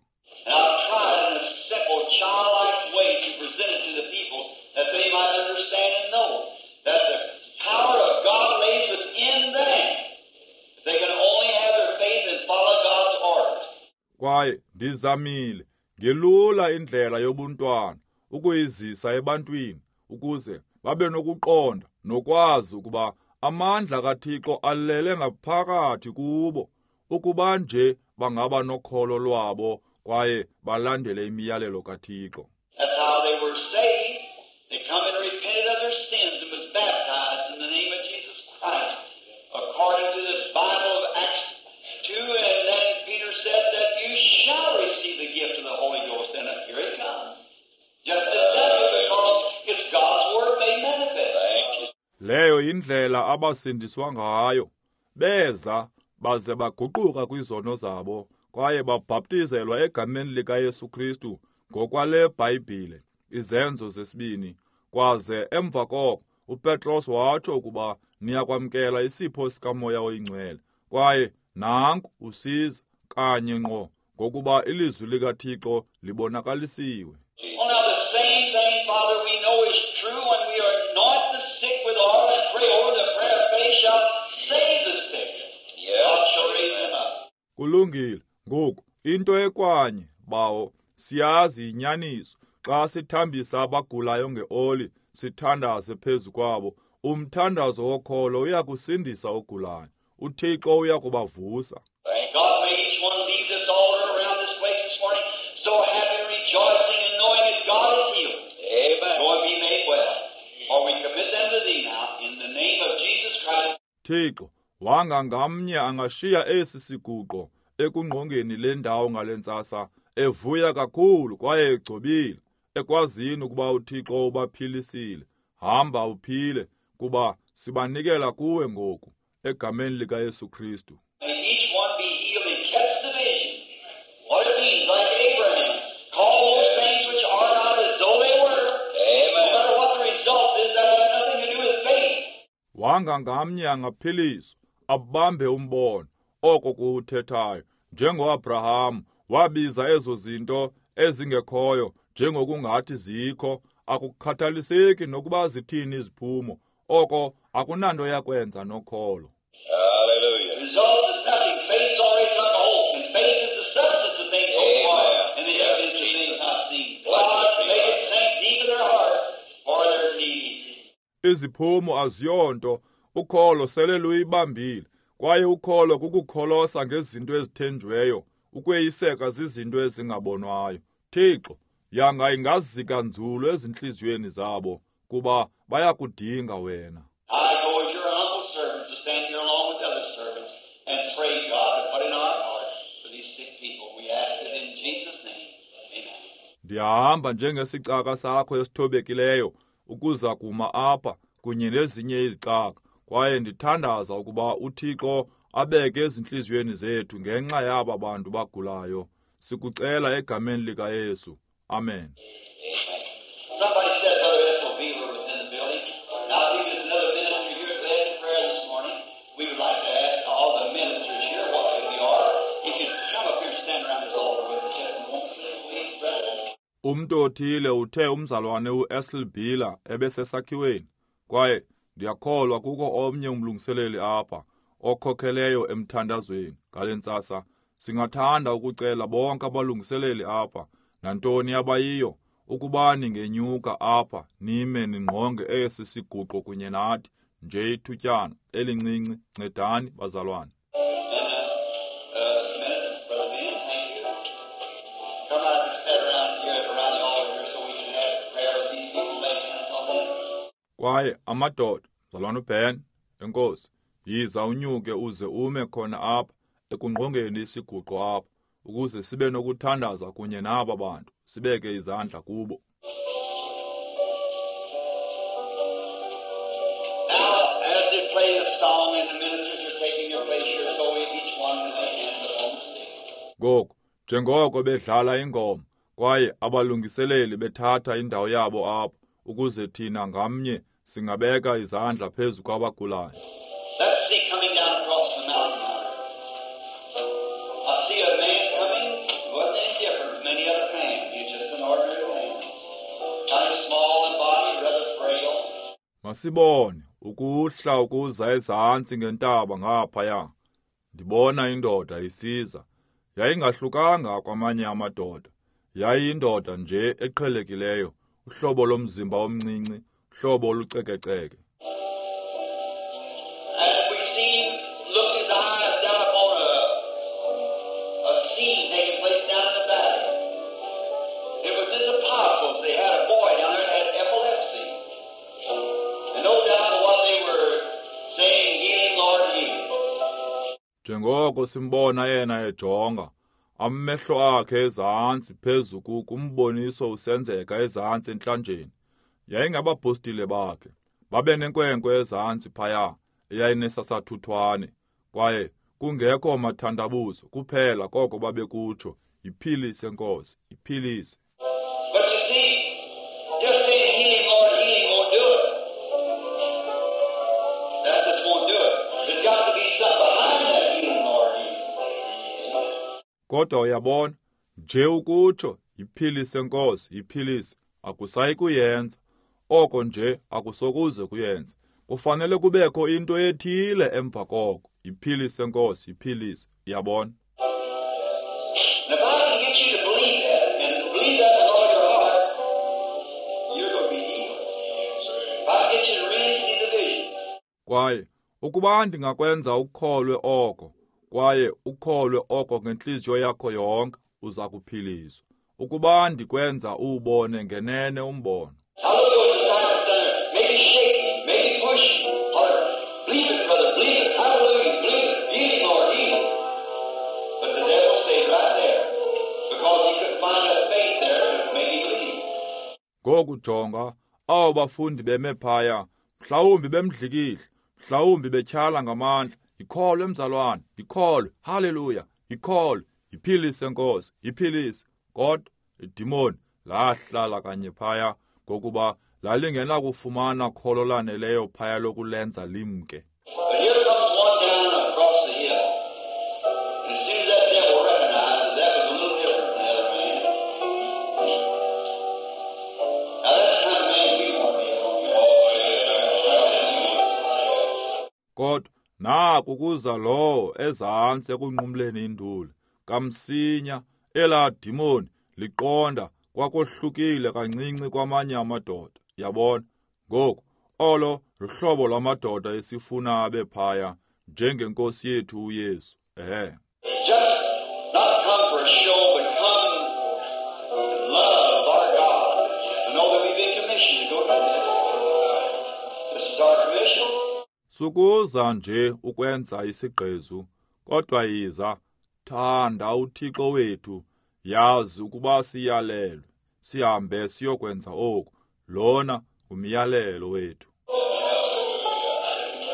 And I've tried in a simple, childlike way to present it to the people that they might understand and know that the power of God lays within them. If they can only have their faith and follow God's orders. Kwaye ndizamile ngelula indlela yobuntwana ukuyizisa ebantwini ukuze babe nokuqonda nokwazi ukuba amandla kaThixo alele ngaphakathi kubo, ukuba nje bangaba nokholo lwabo kwaye balandele imiyalelo kaThixo. That's how they were saved. They come and repented of their sins and was baptized in the name of Jesus Christ, according to the Bible of Acts 2. And then Peter said that you shall receive the gift of the Holy Ghost. And here it comes. Just exactly, because it's God's Word made manifest. Thank you. Leyo indlela abasindiswa ngayo. Beza baze baguquka kwizono zabo kwaye babhaptizelwa egameni likaYesu Kristu ngokwale Bhayibhile, Izenzo zesibini. Kwaze emva koko uPetros watsho ukuba niyakwamkela isipho sikaMoya oyiNgcwele. Kwaye nanku usiza kanye ngqo, ngokuba ilizwi likaThixo libonakalisiwe. Well, now the same thing, Father, we know is true when we anoint the sick with oil and pray over the prayer of faith shall save the sick. Yes. God shall raise them up. Kulungile. Ngoku into ekwanye, Bawo, siyazi inyaniso. Xa sithambisa abagulayo ngeoli, sithandaze phezu kwabo, umthandazo wokholo uyakusindisa ogulayo. uThixo uyakubavusa. Thank God, may each one leave this altar around this place this morning so happy, rejoicing, and knowing that God is healed. Amen. Go and be made well. For we commit them to Thee now, in the name of Jesus Christ. Thixo, wanga ngamnye angashiya esi siguqo ekungqongeni le ndawo ngale ntsasa, evuya kakhulu kwaye egcobile, ekwazini ukuba uThixo ubaphilisile. Hamba uphile, kuba sibanikela kuwe ngoku, egameni likaYesu Kristu. May each one be healed and catch the vision. What it means, like Abraham, call those things which are not as though they were. Amen. No matter what the result is, that has nothing to do with faith. Wanga ngamnye angaphiliswa, abambe umbono, oko kuwuthethayo, njengoAbraham wabiza ezo zinto ezingekhoyo njengokungathi zikho, akukhathaliseki nokuba zithini iziphumo, oko akunanto yakwenza nokholo. Hallelujah. Result is nothing. Faith's already took a hold. And faith is the substance of things hoped for and the evidence of things not seen. God, make it sink deep in their hearts for their need. Iziphumo aziyonto, ukholo sele luyibambile, kwaye ukholo kukukholosa ngezinto ezithenjweyo, ukweyiseka zizinto ezingabonwayo. Thixo, yanga ingazika nzulu ezintliziyweni zabo, kuba bayakudinga wena. I go as your humble servant to stand here along with other servants and pray, God, to put in our hearts for these sick people. We ask it in Jesus' name. Amen. Ndiyahamba njengesicaka sakho esithobekileyo ukuza kuma apha kunye nezinye izicaka, kwaye ndithandaza ukuba uThixo abeke ezintliziyweni zethu ngenxa yaba bantu bagulayo. Sikucela egameni likaYesu. Amen. Somebody said Brother Ethel Beaver was in the building. Now, I think there's another minister here at led in prayer this morning. We would like to ask all the ministers here, what we are, if you'd come up here and stand around this altar with us just a moment, please, brethren. Umntu othile uthe umzalwane uEsel Beeler ebesesakhiweni, kwaye ndiyakholwa kukho omnye umlungiseleli apha okhokheleyo emthandazweni ngale ntsasa. Singathanda ukucela bonke abalungiseleli apha, nantoni abayiyo, ukuba ningenyuka apha nime ningqonge esi siguqo kunye nathi nje ithutyana elincinci. Ncedani bazalwane. And Brother Ben, thank you. Come out and stand around here, around the altar here, so we can have prayer with these people, lay hands on them. Kwaye amadoda, mzalwane uBen, enkosi, yiza unyuke uze ume khona apha ekungqongeni isiguqo apha, ukuze sibe nokuthandaza kunye naba bantu, sibeke izandla kubo. Now, as they play the song and the ministers are taking their place here, so we each one can lay hands upon the sick. Ngoku, njengoko bedlala ingoma, kwaye abalungiseleli bethatha indawo yabo apha, ukuze thina ngamnye singabeka izandla phezu kwabagulayo. Let's see coming down across the mountain. I see a man coming, he wasn't any different from any other man. He was just an ordinary man. Kind of small in body, rather frail. Masibone ukuhla ukuza ezantsi ngentaba ngaphaya. Ndibona indoda isiza. Yayingahlukanga kwamanye amadoda. Yayiyindoda nje eqhelekileyo, uhlobo lomzimba omncinci, uhlobo olucekeceke. As we see him look his eyes down upon a scene taking place down in the valley. It was his apostles. They had a boy down there that had epilepsy. And no doubt what they were saying, heal him, Lord, heal him. Njengoko simbona yena ejonga, amehlo akhe ezantsi phezu kumboniso usenzeka ezantsi entlanjeni. Yayingabapostile bakhe. Babe nenkwenkwe ezantsi phaya eyayinesasathuthwane, kwaye kungekho mathandabuzo kuphela koko babekutsho, yiphilise Nkosi, yiphilise. But you see, just saying heal him, Lord, heal him won't do it. That just won't do it. There's got to be something behind that healing, Lord, heal him. Kodwa uyabona, nje ukutsho yiphilise Nkosi, yiphilise, akusayi kuyenza. Oko nje akusokuze kuyenze. Kufanele kubekho into ethile emva koko. Yiphilise Nkosi, yiphilise. Uyabona? And if I can get you to believe that, and believe that with all your heart, you're going to be healed. If I can get you to really see the vision. Kwaye ukuba ndingakwenza ukholwe oko, kwaye ukholwe oko ngentliziyo yakho yonke, uza kuphiliswa. Ukuba ndikwenza uwubone ngenene umbono. Now look at those disciples down there. Maybe shake him, maybe push him. Holler, believe it, brother, believe it. Hallelujah, believe it. Heal him, Lord, heal him. But the devil stayed right there because he couldn't find that faith there to make him believe. Ngoku jonga, abo bafundi beme phaya, mhlawumbi bemdlikihla, mhlawumbi betyhala ngamandla. Yikholwe mzalwane, yikholwe, haleluya, yikholwe, yiphilise Nkosi, yiphilise. Kodwa idimoni lahlala kanye phaya, ngokuba lalingenakufumana kholo laneleyo phaya lokulenza limke. But here comes one down across the hill. And as soon as that devil recognized that that was a little different than the other man. Now that's the kind of man we want to be. Kodwa naku kuza lowo ezantsi ekunqumleni induli. Kamsinya elaa dimoni liqonda kwakohlukile kancinci kwamanye amadoda. Yabona? Ngoku olo luhlobo lwamadoda esifuna abe phaya njengenkosi yethu uYesu. Ehe. Just not come for a show, but come in love of our God. To know that we've been commissioned to go do this. This is our commission. Sukuza nje ukwenza isigqezu, kodwa yiza, thanda uThixo wethu, yazi ukuba siyalelwe. sihambe siyokwenza oku. Lona ngumyalelo wethu.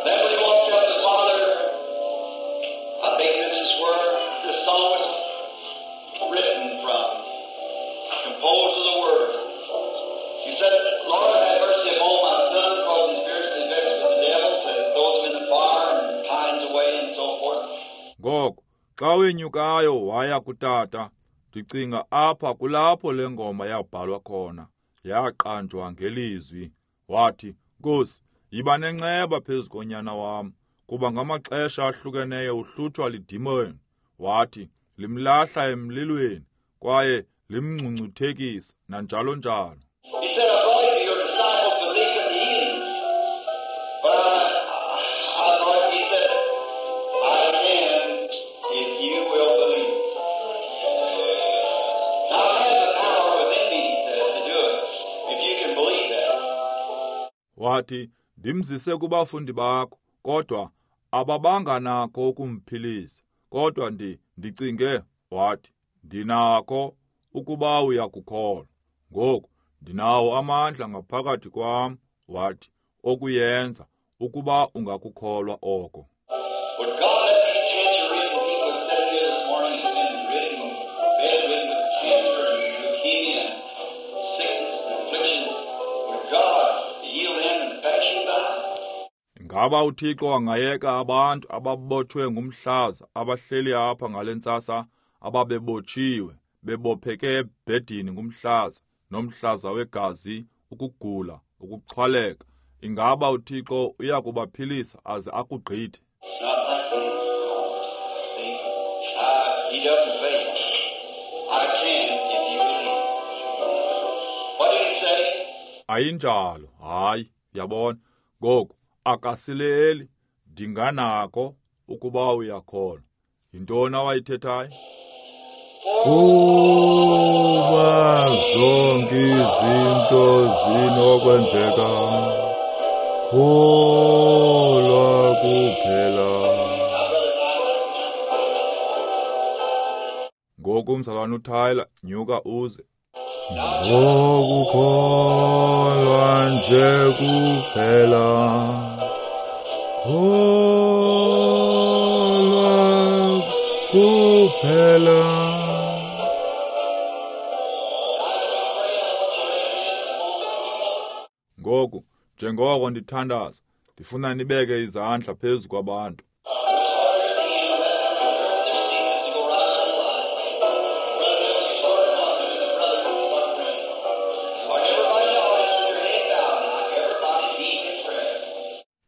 Then when he walked up to the Father, I think this is where the song was written from, composed of the word. He said, Lord, have mercy upon my son, for he's fiercely vexed with the devil, said it throws him in the fire and pines away and so forth. Ngoko xa wenyukayo waya kutata, ndicinga apha kulapho le ngoma yabhalwa khona, yaqanjwa ngelizwi. Wathi, Nkosi, yiba nenceba phezu konyana wam, kuba ngamaxesha ahlukeneyo uhlutshwa lidimoni. Wathi, limlahla emlilweni, kwaye limngcungcuthekisa, nanjalo njalo. He said, I brought him to your disciples, but they couldn't heal him. But I brought, he said, I can if you will believe. Now I have the power within me, he said, to do it, if you can believe that. Wathi, ndimzise kubafundi bakho, kodwa ababanga nako ukumphilisa. Kodwa ndicinge, wathi, ndinako ukuba uyakukholwa. Ngoku ndinawo amandla ngaphakathi kwam, wathi, okuyenza ukuba ungakukholwa oko. Would God let these cancer-ridden people that sat here this morning and been ridden, bedridden with cancer and leukemia and sickness and affliction, would God heal them and pass you by? Ingaba uThixo angayeka abantu ababotshwe ngumhlaza abahleli apha ngale ntsasa ababebotshiwe, bebopheke ebhedini ngumhlaza, nomhlaza wegazi, ukugula, ukuxhwaleka? Ingaba uThixo uyakubaphilisa aze akugqithe? It's not like that. See? He doesn't fail. I can if you believe. What did he say? Ayinjalo, hayi, yabona. Ngoku akasileli, ndinganako ukuba uyakholwa. Yintoni awayithethayo? Kuba zonke izinto zinokwenzeka, kholwa kuphela. Ngoku mzalwana uTyler, nyuka uze. Ngokukholwa nje kuphela, kholwa kuphela. Ngoku, njengoko ndithandaza, ndifuna nibeke izandla phezu kwabantu.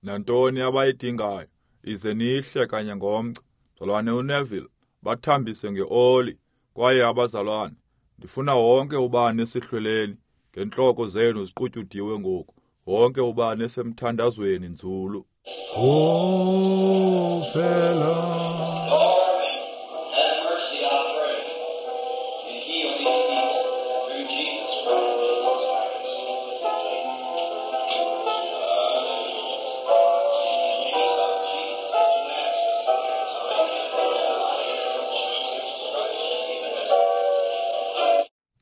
Nantoni abayidingayo, ize nihle kanye ngomgca. Mzalwane uNeville, bathambise ngeoli. Kwaye abazalwane, ndifuna wonke ubani esihlweleni, ngentloko zenu ziqutyudiwe ngoku, wonke ubani esemthandazweni nzulu. Kuphela. Lord, have mercy, I pray, and heal these people through Jesus Christ.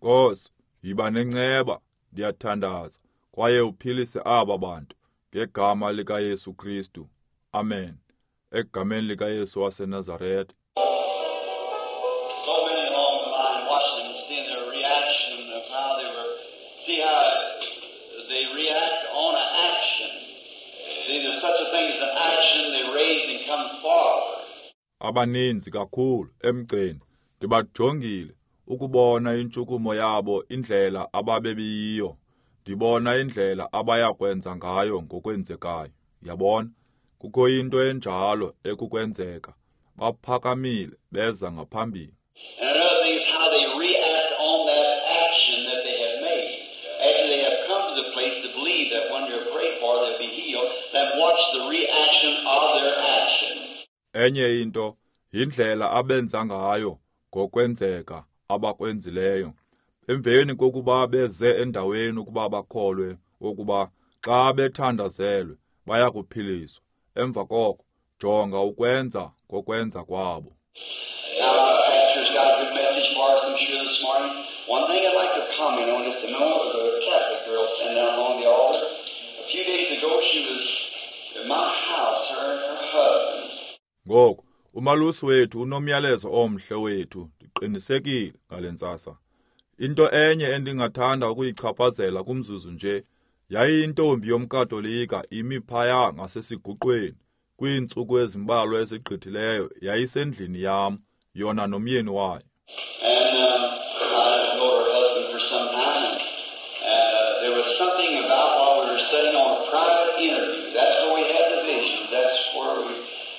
Nkosi, yiba nenceba, ndiyathandaza, kwaye uphilise aba bantu ngegama likaYesu Kristu. Amen. Egameni likaYesu waseNazaretha. So many along the line watching and seeing their reaction of how they were, see how they react on an action. See, there's such a thing as an action they raise and come forward. Abaninzi kakhulu emgceni ndibajongile ukubona intshukumo yabo, indlela ababebiyiyo. Ndibona indlela abayakwenza ngayo ngokwenzekayo. Yabona, kukho into enjalo ekukwenzeka. Baphakamile beza ngaphambili. And another thing is how they react on that action that they have made. After they have come to the place to believe that when they're prayed for they'll be healed, then watch the reaction of their action. Enye into yindlela abenza ngayo ngokwenzeka abakwenzileyo. Emveni kokuba beze endaweni ukuba bakholwe ukuba xa bethandazelwe bayakuphiliswa. Emva koko jonga ukwenza kokwenza kwabo. Now, our pastor's got a good message for us, I'm sure, this morning. One thing I'd like to comment on just a moment was a Catholic girl standing down along the altar. A few days ago, she was in my house, her and her husband. Ngoku, umalusi wethu unomyalezo omhle wethu, ndiqinisekile ngale ntsasa. Into enye endingathanda ukuyichaphazela kumzuzu nje, yayiyintombi yomKatolika imi phaya ngasesiguqweni. Kwiintsuku ezimbalwa ezigqithileyo yayisendlini yam, yona nomyeni wayo. And I know her husband for some time. And there was something about while we were sitting on a private interview. That's where we had the visions. That's where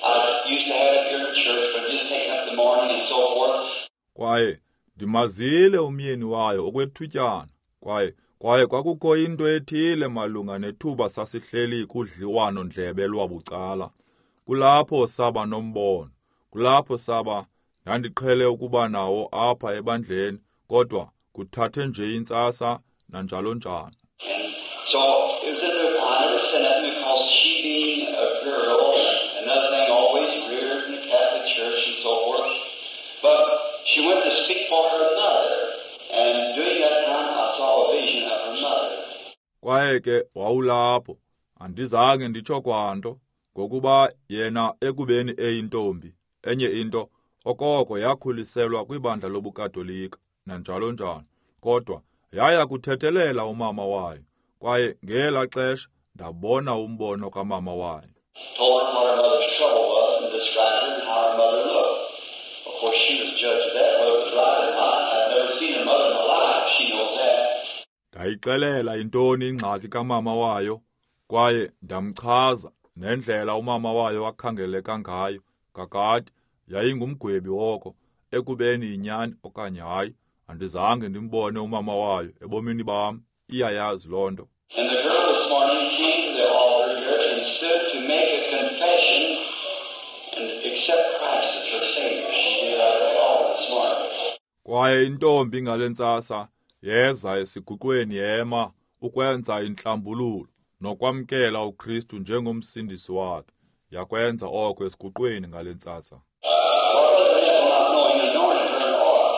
I used to have it here in the church, but just taking up the morning and so forth. Kwaye ndimazile umyeni wayo okwethutyana. Kwaye kwakukho into ethile malunga nethuba sasihleli kudliwano-ndlebe lwabucala. Kulapho saba nombono. Kulapho saba ndandiqhele ukuba nawo apha ebandleni, kodwa kuthathe nje intsasa nanjalo njalo. And so it was in the, I never said nothing because she being a girl, another thing always reared in the Catholic Church and so forth. But she went to speak for her mother, and during that time I saw a vision of her mother. Kwaye ke wawulapho, andizange nditsho kwanto, ngokuba yena ekubeni eyintombi, enye into okoko yakhuliselwa kwibandla lobuKatolika nanjalo njalo, kodwa yaya kuthethelela umama wayo, kwaye ngela xesha ndabona umbono kamama wayo. Told her what her mother's trouble was and described her and how her mother looked. Of course, she was judge of that, whether it was right or not. I've never seen her mother in my life. She knows that. Ndayixelela intoni ingxaki kamama wayo, kwaye ndamchaza nendlela umama wayo akhangeleka ngayo. Kakade yayingumgwebi woko, ekubeni yinyani okanye hayi, andizange ndimbone umama wayo ebomini bam. Iyayazi loo nto. And the girl this morning came to the altar here and stood to make a confession and accept Christ as her Savior. She did out of the altar this morning. Kwaye intombi ngale ntsasa yeza esiguqweni yema ukwenza intlambululo nokwamkela uKristu njengomsindisi wakhe. Yakwenza oko esiguqweni ngale ntsasa. Not knowing, anointed her in oil,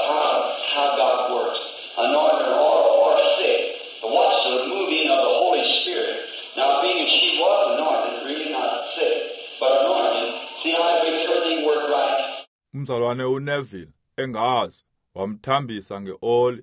how God works. Anointed her in oil or sick. But watch the moving of the Holy Spirit. Now, being as she was anointed, really not sick, but anointed, see how it makes everything work right? Umzalwane uNeville engazi wamthambisa ngeoli.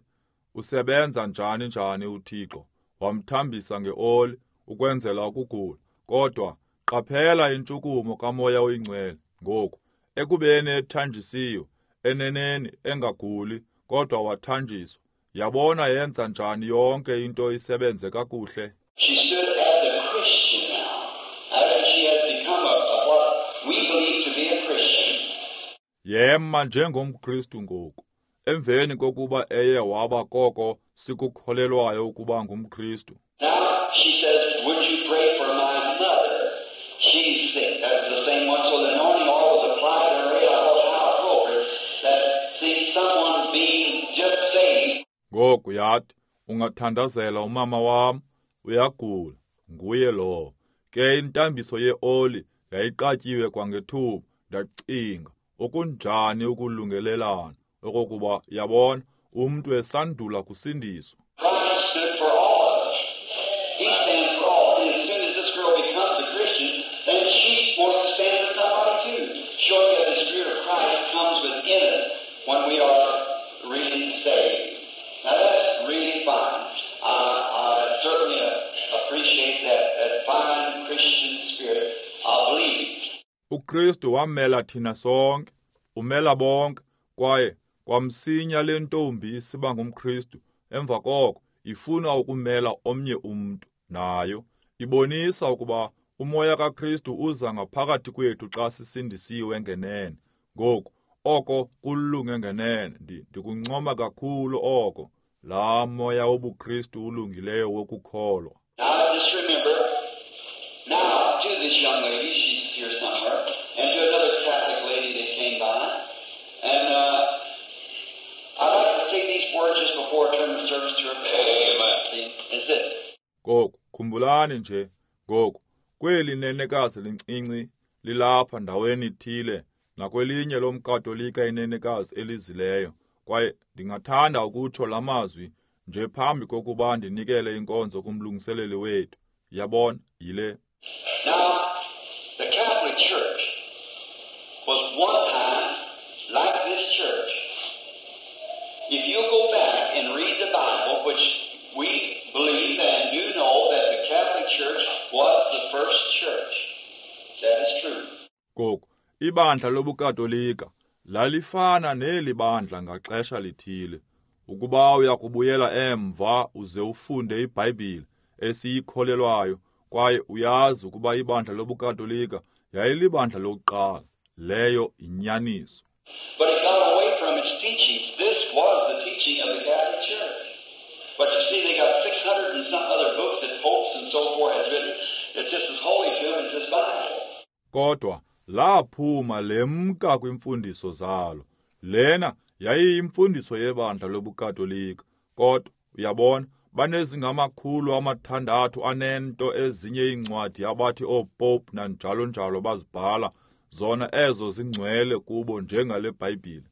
Usebenza njani njani uThixo? Wamthambisa ngeoli ukwenzela ukugula. Kodwa qaphela intshukumo kaMoya oyiNgcwele ngoku. Ekubeni ethanjisiwe, eneneni engaguli, kodwa wathanjiswa. Yabona yenza njani yonke into isebenze kakuhle. She stood as a Christian now. After she has become a what we believe to be a Christian. Yema njengomKristu ngoku, emveni kokuba eye waba koko sikukholelwayo ukuba ngumKristu. Now she says, would you pray for my mother? She's sick. That was the same one. So the anointing oil was applied to her head. I thought how appropriate that, see, someone being just saved. Ngoku yathi, ungathandazela umama wam, uyagula, nguye lowo. Ke intambiso yeoli yayiqatyiwe kwangethuba. Ndacinga, okunjani ukulungelelana, okokuba yabona, umntu esandula kusindiswa. Christ stood for all of us. He stands for all. And as soon as this girl becomes a Christian, then she wants to stand for somebody too, showing that the Spirit of Christ comes within us when we are really saved. Now that's really fine. I certainly appreciate that fine Christian spirit of believing. uKristu wamela thina sonke, umela bonke, kwaye kwamsinya le ntombi isiba ngumKristu. Emva koko ifuna ukumela omnye umntu nayo. Ibonisa ukuba umoya kaKristu uza ngaphakathi kwethu xa sisindisiwe ngenene. Ngoku oko kulunge ngenene, ndikuncoma kakhulu oko, laa moya wobuKristu ulungileyo wokukholwa. Now just remember, now to this young lady, she's here somewhere, and to another Catholic lady that came by, and I'd like to say these words just before I turn the service to her. Amen. Is this. Ngoku, khumbulani nje, ngoku, kweli nenekazi lincinci lilapha ndaweni ithile, nakwelinye lomKatolika inenekazi elizileyo. Kwaye ndingathanda ukutsho la mazwi nje phambi kokuba ndinikele inkonzo kumlungiseleli wethu. Yabona, yile. Now, the Catholic Church was one time like this church. If you go back and read the Bible, which we believe and do know that the Catholic Church was the first church. That is true. Ngoku, ibandla lobuKatolika lalifana neli bandla ngaxesha lithile. Ukuba uyakubuyela emva uze ufunde iBhayibhile esiyikholelwayo, kwaye uyazi ukuba ibandla lobuKatolika yayilibandla lokuqala. Leyo inyaniso. But it got away from its teachings. This was the teaching of the Catholic Church. But you see, they got 600 and some other books that popes and so forth has written. It's just as holy to them as this Bible. Kodwa laphuma lemka kwimfundiso zalo. Lena yayiyimfundiso yebandla lobuKatolika. Kodwa uyabona, banezingama600 anento ezinye iincwadi abathi oopope nanjalo njalo bazibhala, zona ezo zingcwele kubo njengale Bhayibhile.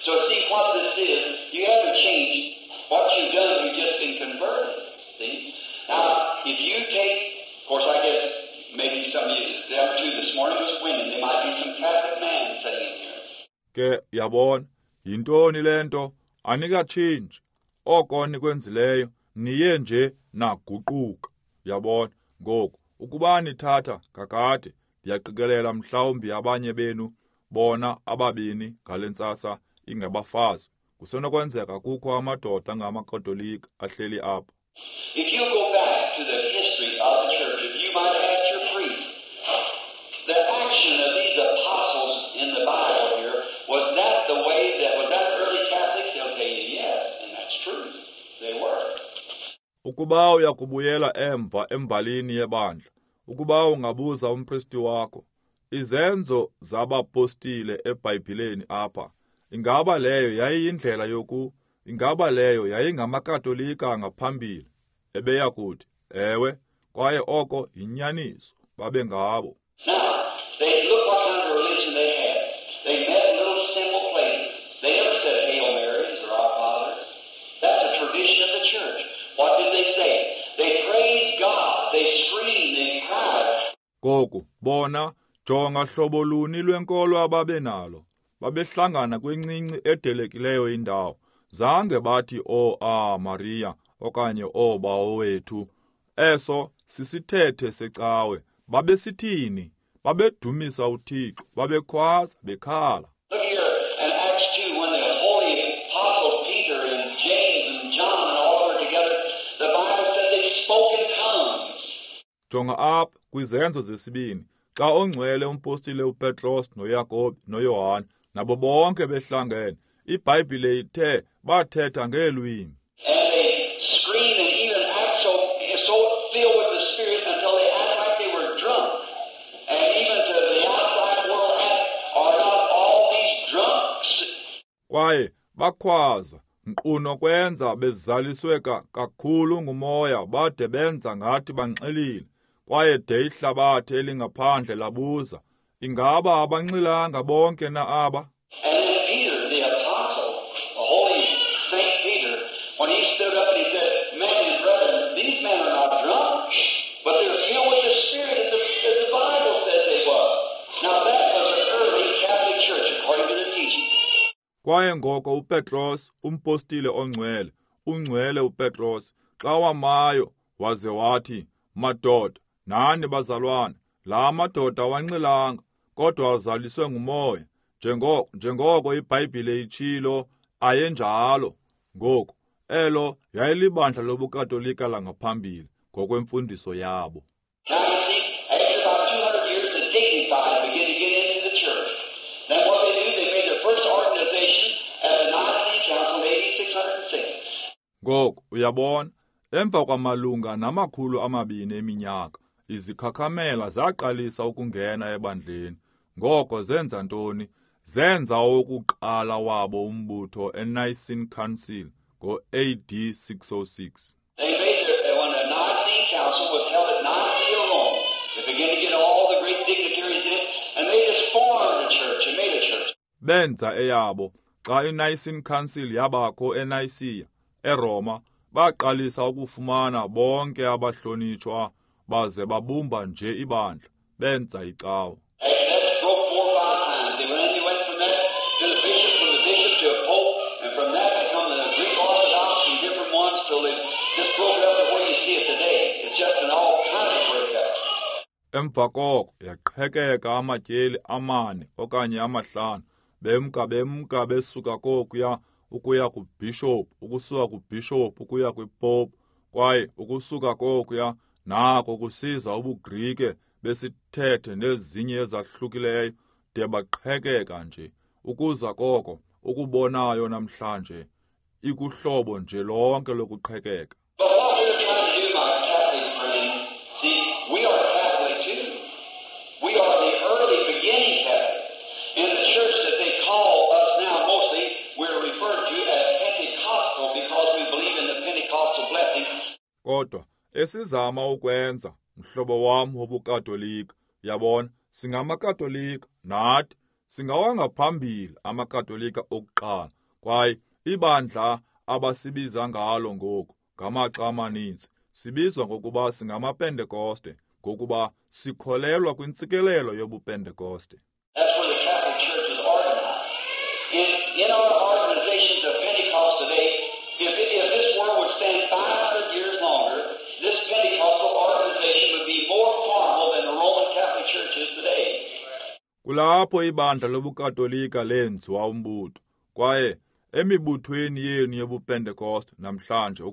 So see what this is, you haven't changed. What you've done, you've just been converted. See? Now, if you take, of course, I guess maybe some of you, them two this morning was women. There might be some Catholic man sitting in here. Ke yabona, yintoni le nto? Anikatshintshi. Oko nikwenzileyo, niye nje naguquka. Yabona, ngoku ukuba nithatha kakade, ndiyaqikelela mhlawumbi abanye benu bona ababini ngale ntsasa ingabafazi. Kusenokwenzeka kukho amadoda angamaKatolika ahleli apha. If you go back to the history of the church, if you might ask your priest, the action of these apostles in the Bible here, was that the way that, was that early Catholics? They'll tell you yes, and that's true. They were. Ukuba uyakubuyela emva embalini yebandla, ukuba ungabuza umpristi wakho, izenzo zabapostile eBhayibhileni apha, ingaba leyo yayiyindlela yoku, ingaba leyo yayingamakatolika ngaphambili? Ebeya kuthi, ewe, kwaye oko yinyaniso, babe ngabo. Now, they look what kind of religion they had. They met in little simple places. They never said Hail Marys or Our Fathers. That's a tradition of the church. What did they say? They praised God. They screamed. They cried. Ngoku, bona, jonga hlobo luni lwenkolo ababenalo. Babehlangana kwincinci edelekileyo indawo. Zange bathi o a Maria okanye o Bawo wethu. Eso sisithethe secawe. Babesithini? Babedumisa uThixo, babekhwaza, bekhala. Look here in Acts 2, when the holy apostle Peter and James and John and all were together, the Bible said they spoke in tongues. Jonga apha kwizenzo zesibini, xa ongcwele umpostile uPetros noYakobi noYohane nabo bonke behlangene, iBhayibhile ithe bathetha ngeelwimi. And they screamed and even act so filled with the Spirit until they act like they were drunk. And even to the outside world ask, are not all these drunks? Kwaye bakhwaza nkqu nokwenza bezaliswe kakhulu ngumoya bade benza ngathi banxilile. Kwaye de ihlabathi elingaphandle labuza, ingaba abanxilanga bonke na aba? And then Peter, the apostle, the holy Saint Peter, when he stood up and he said, Men and brethren, these men are not drunk, but they're filled with the Spirit as the Bible says they were. Now that was an early Catholic church according to their teaching. Kwaye ngoko uPetros, umpostile ongcwele, ungcwele uPetros, xa wamayo waze wathi, madoda, nani bazalwane, la madoda awanxilanga, kodwa azaliswe ngumoya, njengoko iBhayibhile itshilo, ayenjalo. Ngoku, elo yayilibandla lobuKatolika langaphambili ngokwemfundiso yabo. Now you see, after about 200 years, the dignified began to get into the church. Then what they do, they made their first organization at the Nicene Council in AD 606. Ngoku, uyabona, emva kwamalunga 200 eminyaka, izikhakhamela zaqalisa ukungena ebandleni. Ngoko zenza ntoni? Zenza owokuqala wabo umbutho eNicene Council ngo-AD 606. They made their, when the Nicene Council was held at Nicaea, Rome, they began to get all the great dignitaries in, and they just formed a church and made a church. Benza eyabo Xa iNicene Council yabakho eNicaea, eRoma, baqalisa ukufumana bonke abahlonitshwa baze babumba nje ibandla, benza icawa. Emva koko yaqhekeka amatyeli 4 okanye 5, bemka besuka kokuya ukuya kubhishophu, ukusuka kubhishophu ukuya kwipopu, kwaye ukusuka kokuya nako kusiza ubuGrike besithethe nezinye ezahlukileyo de baqhekeka nje. Ukuza koko ukubonayo namhlanje ikuhlobo nje lonke lokuqhekeka. Kodwa esizama ukwenza, mhlobo wam wobuKatolika, yabona, singamaKatolika nathi, singawangaphambili amaKatolika okuqala, kwaye ibandla abasibiza ngalo ngoku ngamaxa amaninzi sibizwa ngokuba singamaPentekoste, ngokuba sikholelwa kwintsikelelo yobuPentekoste. That's where the Catholic Church is organized. In our organizations of Pentecost today, if this world would stand 500 years longer, this Pentecostal organization would be more formal than the Roman Catholic Church is today. Kulapho ibandla lobuKatolika lenziwa umbutho, kwaye emibuthweni yenu yobuPentekoste namhlanje,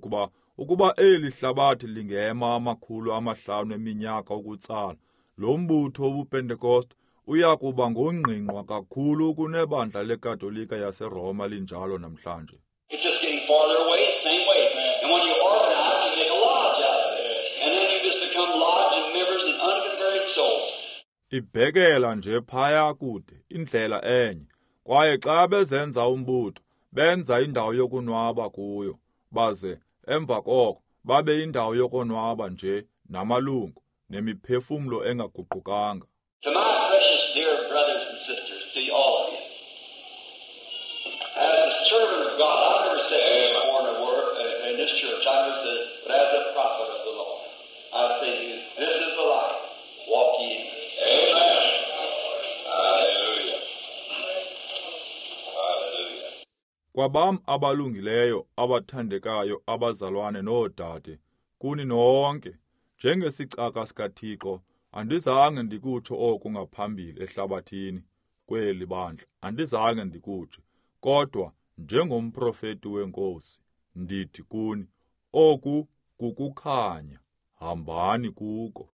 ukuba eli hlabathi lingema 500 eminyaka ukutsala, lo mbutho wobuPentekoste uya kuba ngongqingqwa kakhulu kunebandla leKatolika yaseRoma linjalo namhlanje. It's just getting farther away the same way. And when you organize, you make a lodge out of it. And then you just become lodge and members and unconverted souls. Ibhekela nje phaya kude, indlela enye. Kwaye xa bezenza umbutho, benza indawo yokunwaba kuyo, baze emva koko babe indawo yokonwaba nje namalungu nemiphefumlo engaguqukanga. To my precious dear brothers and sisters, to all of you, as a servant of God, I've never said this before in the word, in this church, I never said, but as a prophet of the Lord, I say to you, this is the light. Walk ye in it. Amen. Hallelujah. Hallelujah. Kwabam abalungileyo, abathandekayo, abazalwane noodade, kuni nonke, njengesicaka sikaThixo, andizange ndikutsho oku ngaphambili ehlabathini kweli bandla, andizange ndikutsho, kodwa njengomprofeti weNkosi, ndithi kuni, oku kukukhanya, hambani kuko.